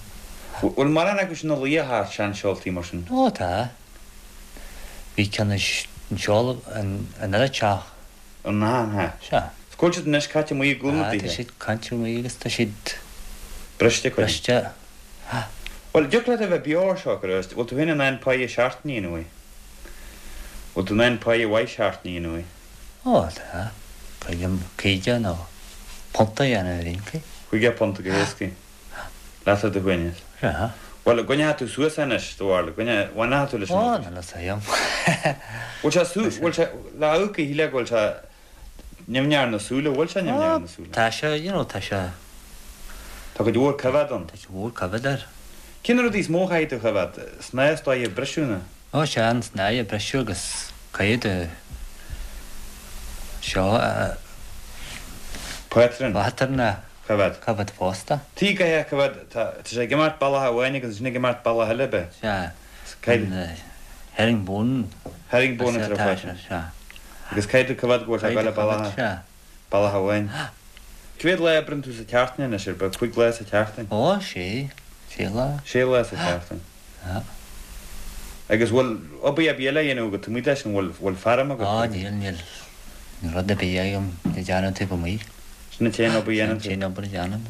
Bhfuil mórán acu sin ina luí thart, seanseoltaí mar sin? Ó, tá. Bhí ceann anseo in an eile teach. An ea? Sea. 'S cá bhfuil siad anois caite amuigh i gcúl na Tá dtithe? siad caite amuigh agus tá siad. Briste, cuid. Briste. Bhuel, dtiocfadh leat a bheith beo air seo, go raibh, bhfuil tú féin in ann páighe seachtaine a dhéanamh? Bhfuil tú in ann páighe mhaith seachtaine a dhéanamh? Ó, tá. Caoga, caoga nó punt a dhéanamh ar aon chaoi. Caoga punt go héasca. Leat ar do shuaimhneas. Sea. Bhuel, an gcoinneoidh tú suas é anois, do bharúil, an gcoinneoidh tú leis an Ó, obair? níl a fhios agam. Bhfuil sé su, bhfuil sé, le amharc a shílfeá go bhfuil sé nimhneach ar na súile, bhfuil sé nimhneach ar na súile? Tá sé, you know, tá sé. Tá cuid mhór coimhéad ann. Tá cuid mhór coimhéad air. Cé na rudaí is mó a chaithfidh tú a choimhéad? Snáth is dóigh a briseadh nó? Ó, sea, an snáth a briseadh agus caithfidh tú seo a. Pátrún. Pátrún a. Coimhéad. Coimhéad fosta. Tí caithfidh a choimhéad, tá sé ag imeacht bealach amháin agus ansin ag imeacht bealach eile, ab ea? Sea. Caithfidh. Herringbone. Herringbone atá ar fáil. Sea. Agus caithfidh tú coimhéad go bhfuil sé ag dul bealach. Sea. Bealach amháin. Cá mhéad lá a oibríonn tú sa tseachtain anois, ar bith? Cúig lá sa tseachtain? Ó, sé. Sé lá. Sé lá sa tseachtain. Sea. Agus bhfuil obair ar bith eile a dhéanamh agat taobh amuigh de sin, bhfuil, bhfuil feirm agat? Ó, níl, níl. Níl rud ar bith agam le déanamh taobh amuigh. Sin an t-aon obair a dhéanann tú? Sin an t-aon obair a dhéanaim.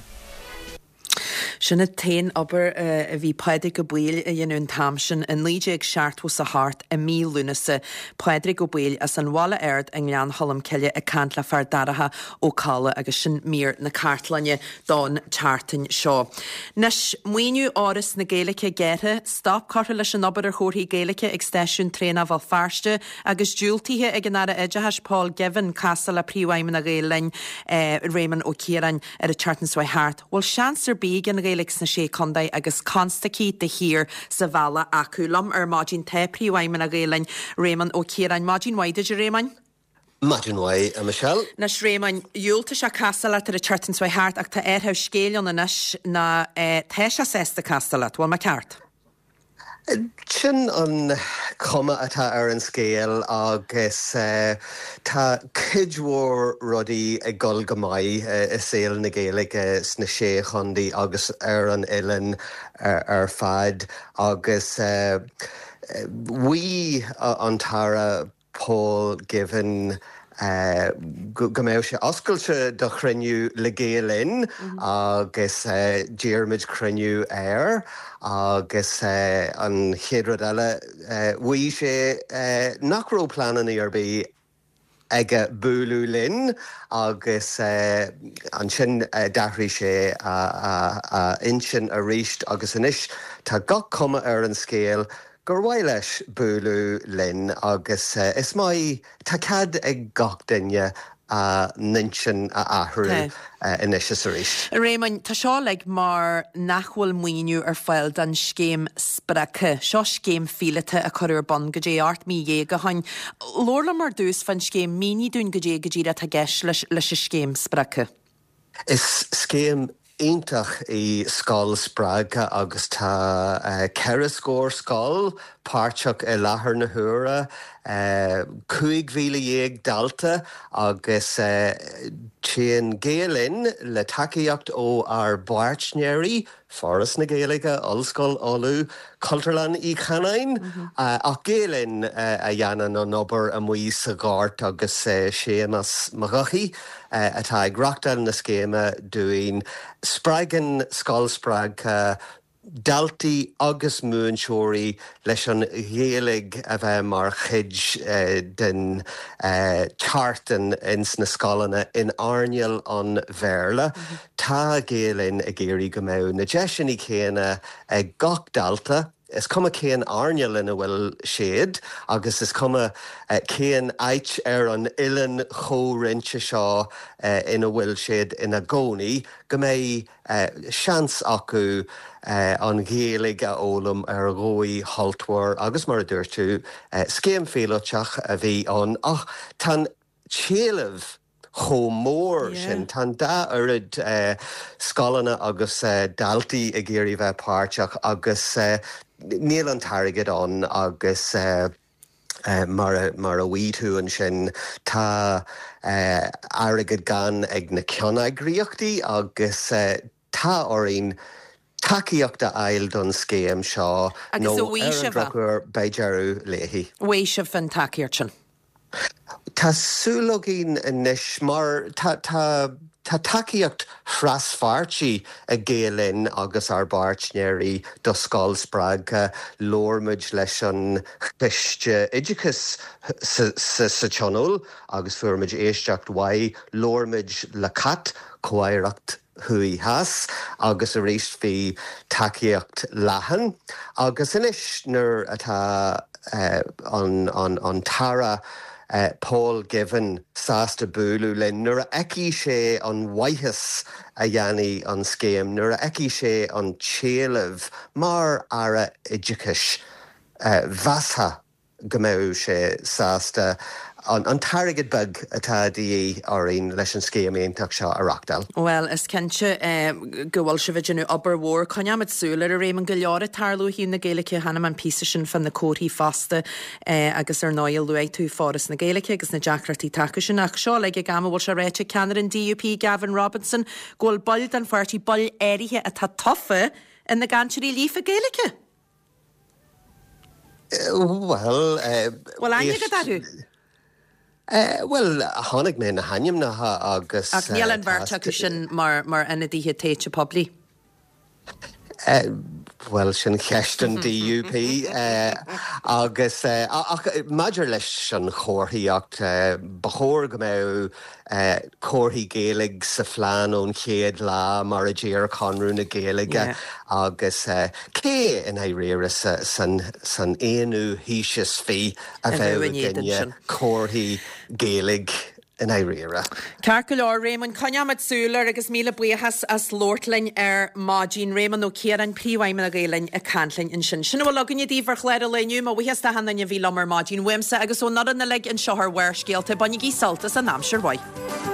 Sin an t-aon obair a bhí Pádraig Ó Baoill a dhéanamh an t-am sin i naoi déag seachtó 's a hocht i mí Lúnasa. Pádraig Ó Baoill as an Bhaile Ard i nGleann Cholm Cille ag caint le Feardorcha Ó Cadhla agus sin mír na cartlainne don tseachtain seo. Anois, maoiniú Fhoras na Gaeilge gearrtha, stop curtha leis an obair ar chomharthaí Gaeilge ag stáisiún traenach Bhéal Feirste agus diúltaithe ag an Aire Oideachais Paul Givan casadh le Príomhfheidhmeannach Ghael Linn Réamonn Ó Ciaráin ar an tseachtain seo thart. Bhfuil seans ar bith ag an Ghaeilge sna Sé Chontae agus constaicí de shíor sa bhealach acu. Liom ar maidin tá Príomhfheidhmeannach Ghael Linn Réamonn Ó Ciaráin. Maidin mhaith duit a Réamoinn. Maidin mhaith, a Michelle. Anois Réamoinn, dhiúltaigh sé casadh leat ar an tseachtain seo thart ach tá athrú scéil ann anois ná tá sé sásta casadh leat, bhfuil mé ceart? Sin an chuma atá ar an scéal agus tá cuid mhór rudaí ag dul go maith i saol na Gaeilge sna sé chontae agus ar an oileán ar fad agus mhaígh an tAire Paul Givan go mbeadh sé oscailte do chruinniú le Gael Linn agus d'iarr muid cruinniú air agus an chéad rud eile mhaígh sé nach raibh pleananna ar bith aige bualadh linn agus ansin d'athraigh sé a intinn arís agus anois tá gach cuma ar an scéal gur mhaith leis bualadh linn agus is maith tá cead ag gach duine a n-intinn a athrú anois is arís. A Réamoinn, tá seo like mar nach bhfuil maoiniú ar fáil don scéim spreagtha. Seo scéim phíolótach a cuireadh ar bun go dtí ocht mí dhéag ó shin. Labhair liom ar dtús fán scéim, mínigh dúinn go dtí go díreach atá i gceist leis leis an scéim spreagtha. Is scéim iontach í Scoil Spreagtha agus tá ceithre scór scoil páirteach i láthair na huaire, cúig mhíle dhéag dalta agus téann Gael Linn le tacaíocht ó ár bpáirtnéirí, Foras na Gaeilge, Ollscoil Uladh, Cultúrlann Uí Chanáin, ach Gael Linn a dhéanann an obair amuigh sa ghort agus Séamas Mac Eochaidh atá ag reachtáil na scéime dúinn. Spreagann Scoil Spreagtha daltaí agus múinteoirí leis an Ghaeilge a bheith mar chuid den tseachtain ins na scoileanna in earnáil an Bhéarla. Tá Gael Linn ag iarraidh go mbeadh na deiseanna céanna ag gach dalta, is cuma cén earnáil ina bhfuil siad agus is cuma cén áit ar an oileán chomhroinnte seo ina bhfuil siad ina gcónaí, go mbeidh seans acu an Ghaeilge a fhoghlaim ar dhóigh shultmhar agus mar a dúirt tú, scéim phíolótach a bhí ann ach tá an t-éileamh chomh mór sin. Tá an dá oiread scoileanna agus daltaí ag iarraidh bheith páirteach agus níl an t-airgead ann agus mar a mar a mhaígh tú ansin tá airgead gann ag na ceanneagraíochtaí agus tá orainn tacaíocht a fháil don scéim seo Agus nó a bhfuil ar an sibh drochuair beidh deireadh léi. Bhfuil sibh an tacaíocht sin? Tá súil againn anois mar tá tá tá tacaíocht thraspháirtí ag Gael Linn agus ár bpáirtnéirí do Scoil Spreagtha. Labhair muid leis an Choiste Oideachais sa sa sa Tionól agus fuair muid éisteacht mhaith. Labhair muid le CAT, Comh-Aireacht Thuaidh Theas, agus arís bhí tacaíocht leathan. Agus anois nuair atá an an an tAire Paul Givan sásta bualadh linn, nuair a fheicfidh sé an mhaitheas a dhéanfaidh an scéim, nuair a fheicfidh sé an t-éileamh mar Aire Oideachais, mheasfá go mbeadh sé sásta an t-airgead beag atá de dhíth orainn leis an scéim iontach seo a reachtáil. Bhuel, is cinnte go bhfuil sibh ag déanamh obair mhór. Coinneoimid súil air, a Réamoinn, go leor ag tarlú ó thaobh na Gaeilge. Chonaic mé an píosa sin fá na comharthaí fosta agus ar ndóigh luaigh tú Foras na Gaeilge agus na deacrachtaí atá acu sin. Ach seo uilig ag am a bhfuil sé ráite ag ceannaire an D U P Gavin Robinson go bhfuil baill den pháirtí, baill áirithe atá tofa ina gcainteoirí líofa Gaeilge. Bhuel, Bhfuil aithne agat orthu? Bhuel, chonaic mé na hainmneacha agus Ach níl an bheirt acu sin mar mar ionadaithe tofa poiblí. Bhuel, sin ceist an D U P agus ach maidir leis an chomharthaíocht, ba chóir go mbeadh comharthaí Gaeilge sa phlean ón chéad lá mar a deir Conradh na Gaeilge agus cé i ndáiríre san san aonú haois is fiche a bheadh i gcoinne comharthaí Gaeilge i ndáiríre. Ceart go leor, Réamonn, coinneoimid súil air agus míle buíochas as labhairt linn ar maidin. Réamonn Ó Ciaráin, Príomhfheidhmeannach Ghael Linn ag caint linn ansin. Sin a bhfuil againne daoibh ar chlár an lae inniu. Mo bhuíochas d'achan duine a bhí liom ar maidin uaimse agus ón fhoireann uilig anseo ar Bharrscéalta. Bainigí sult as an aimsir mhaith.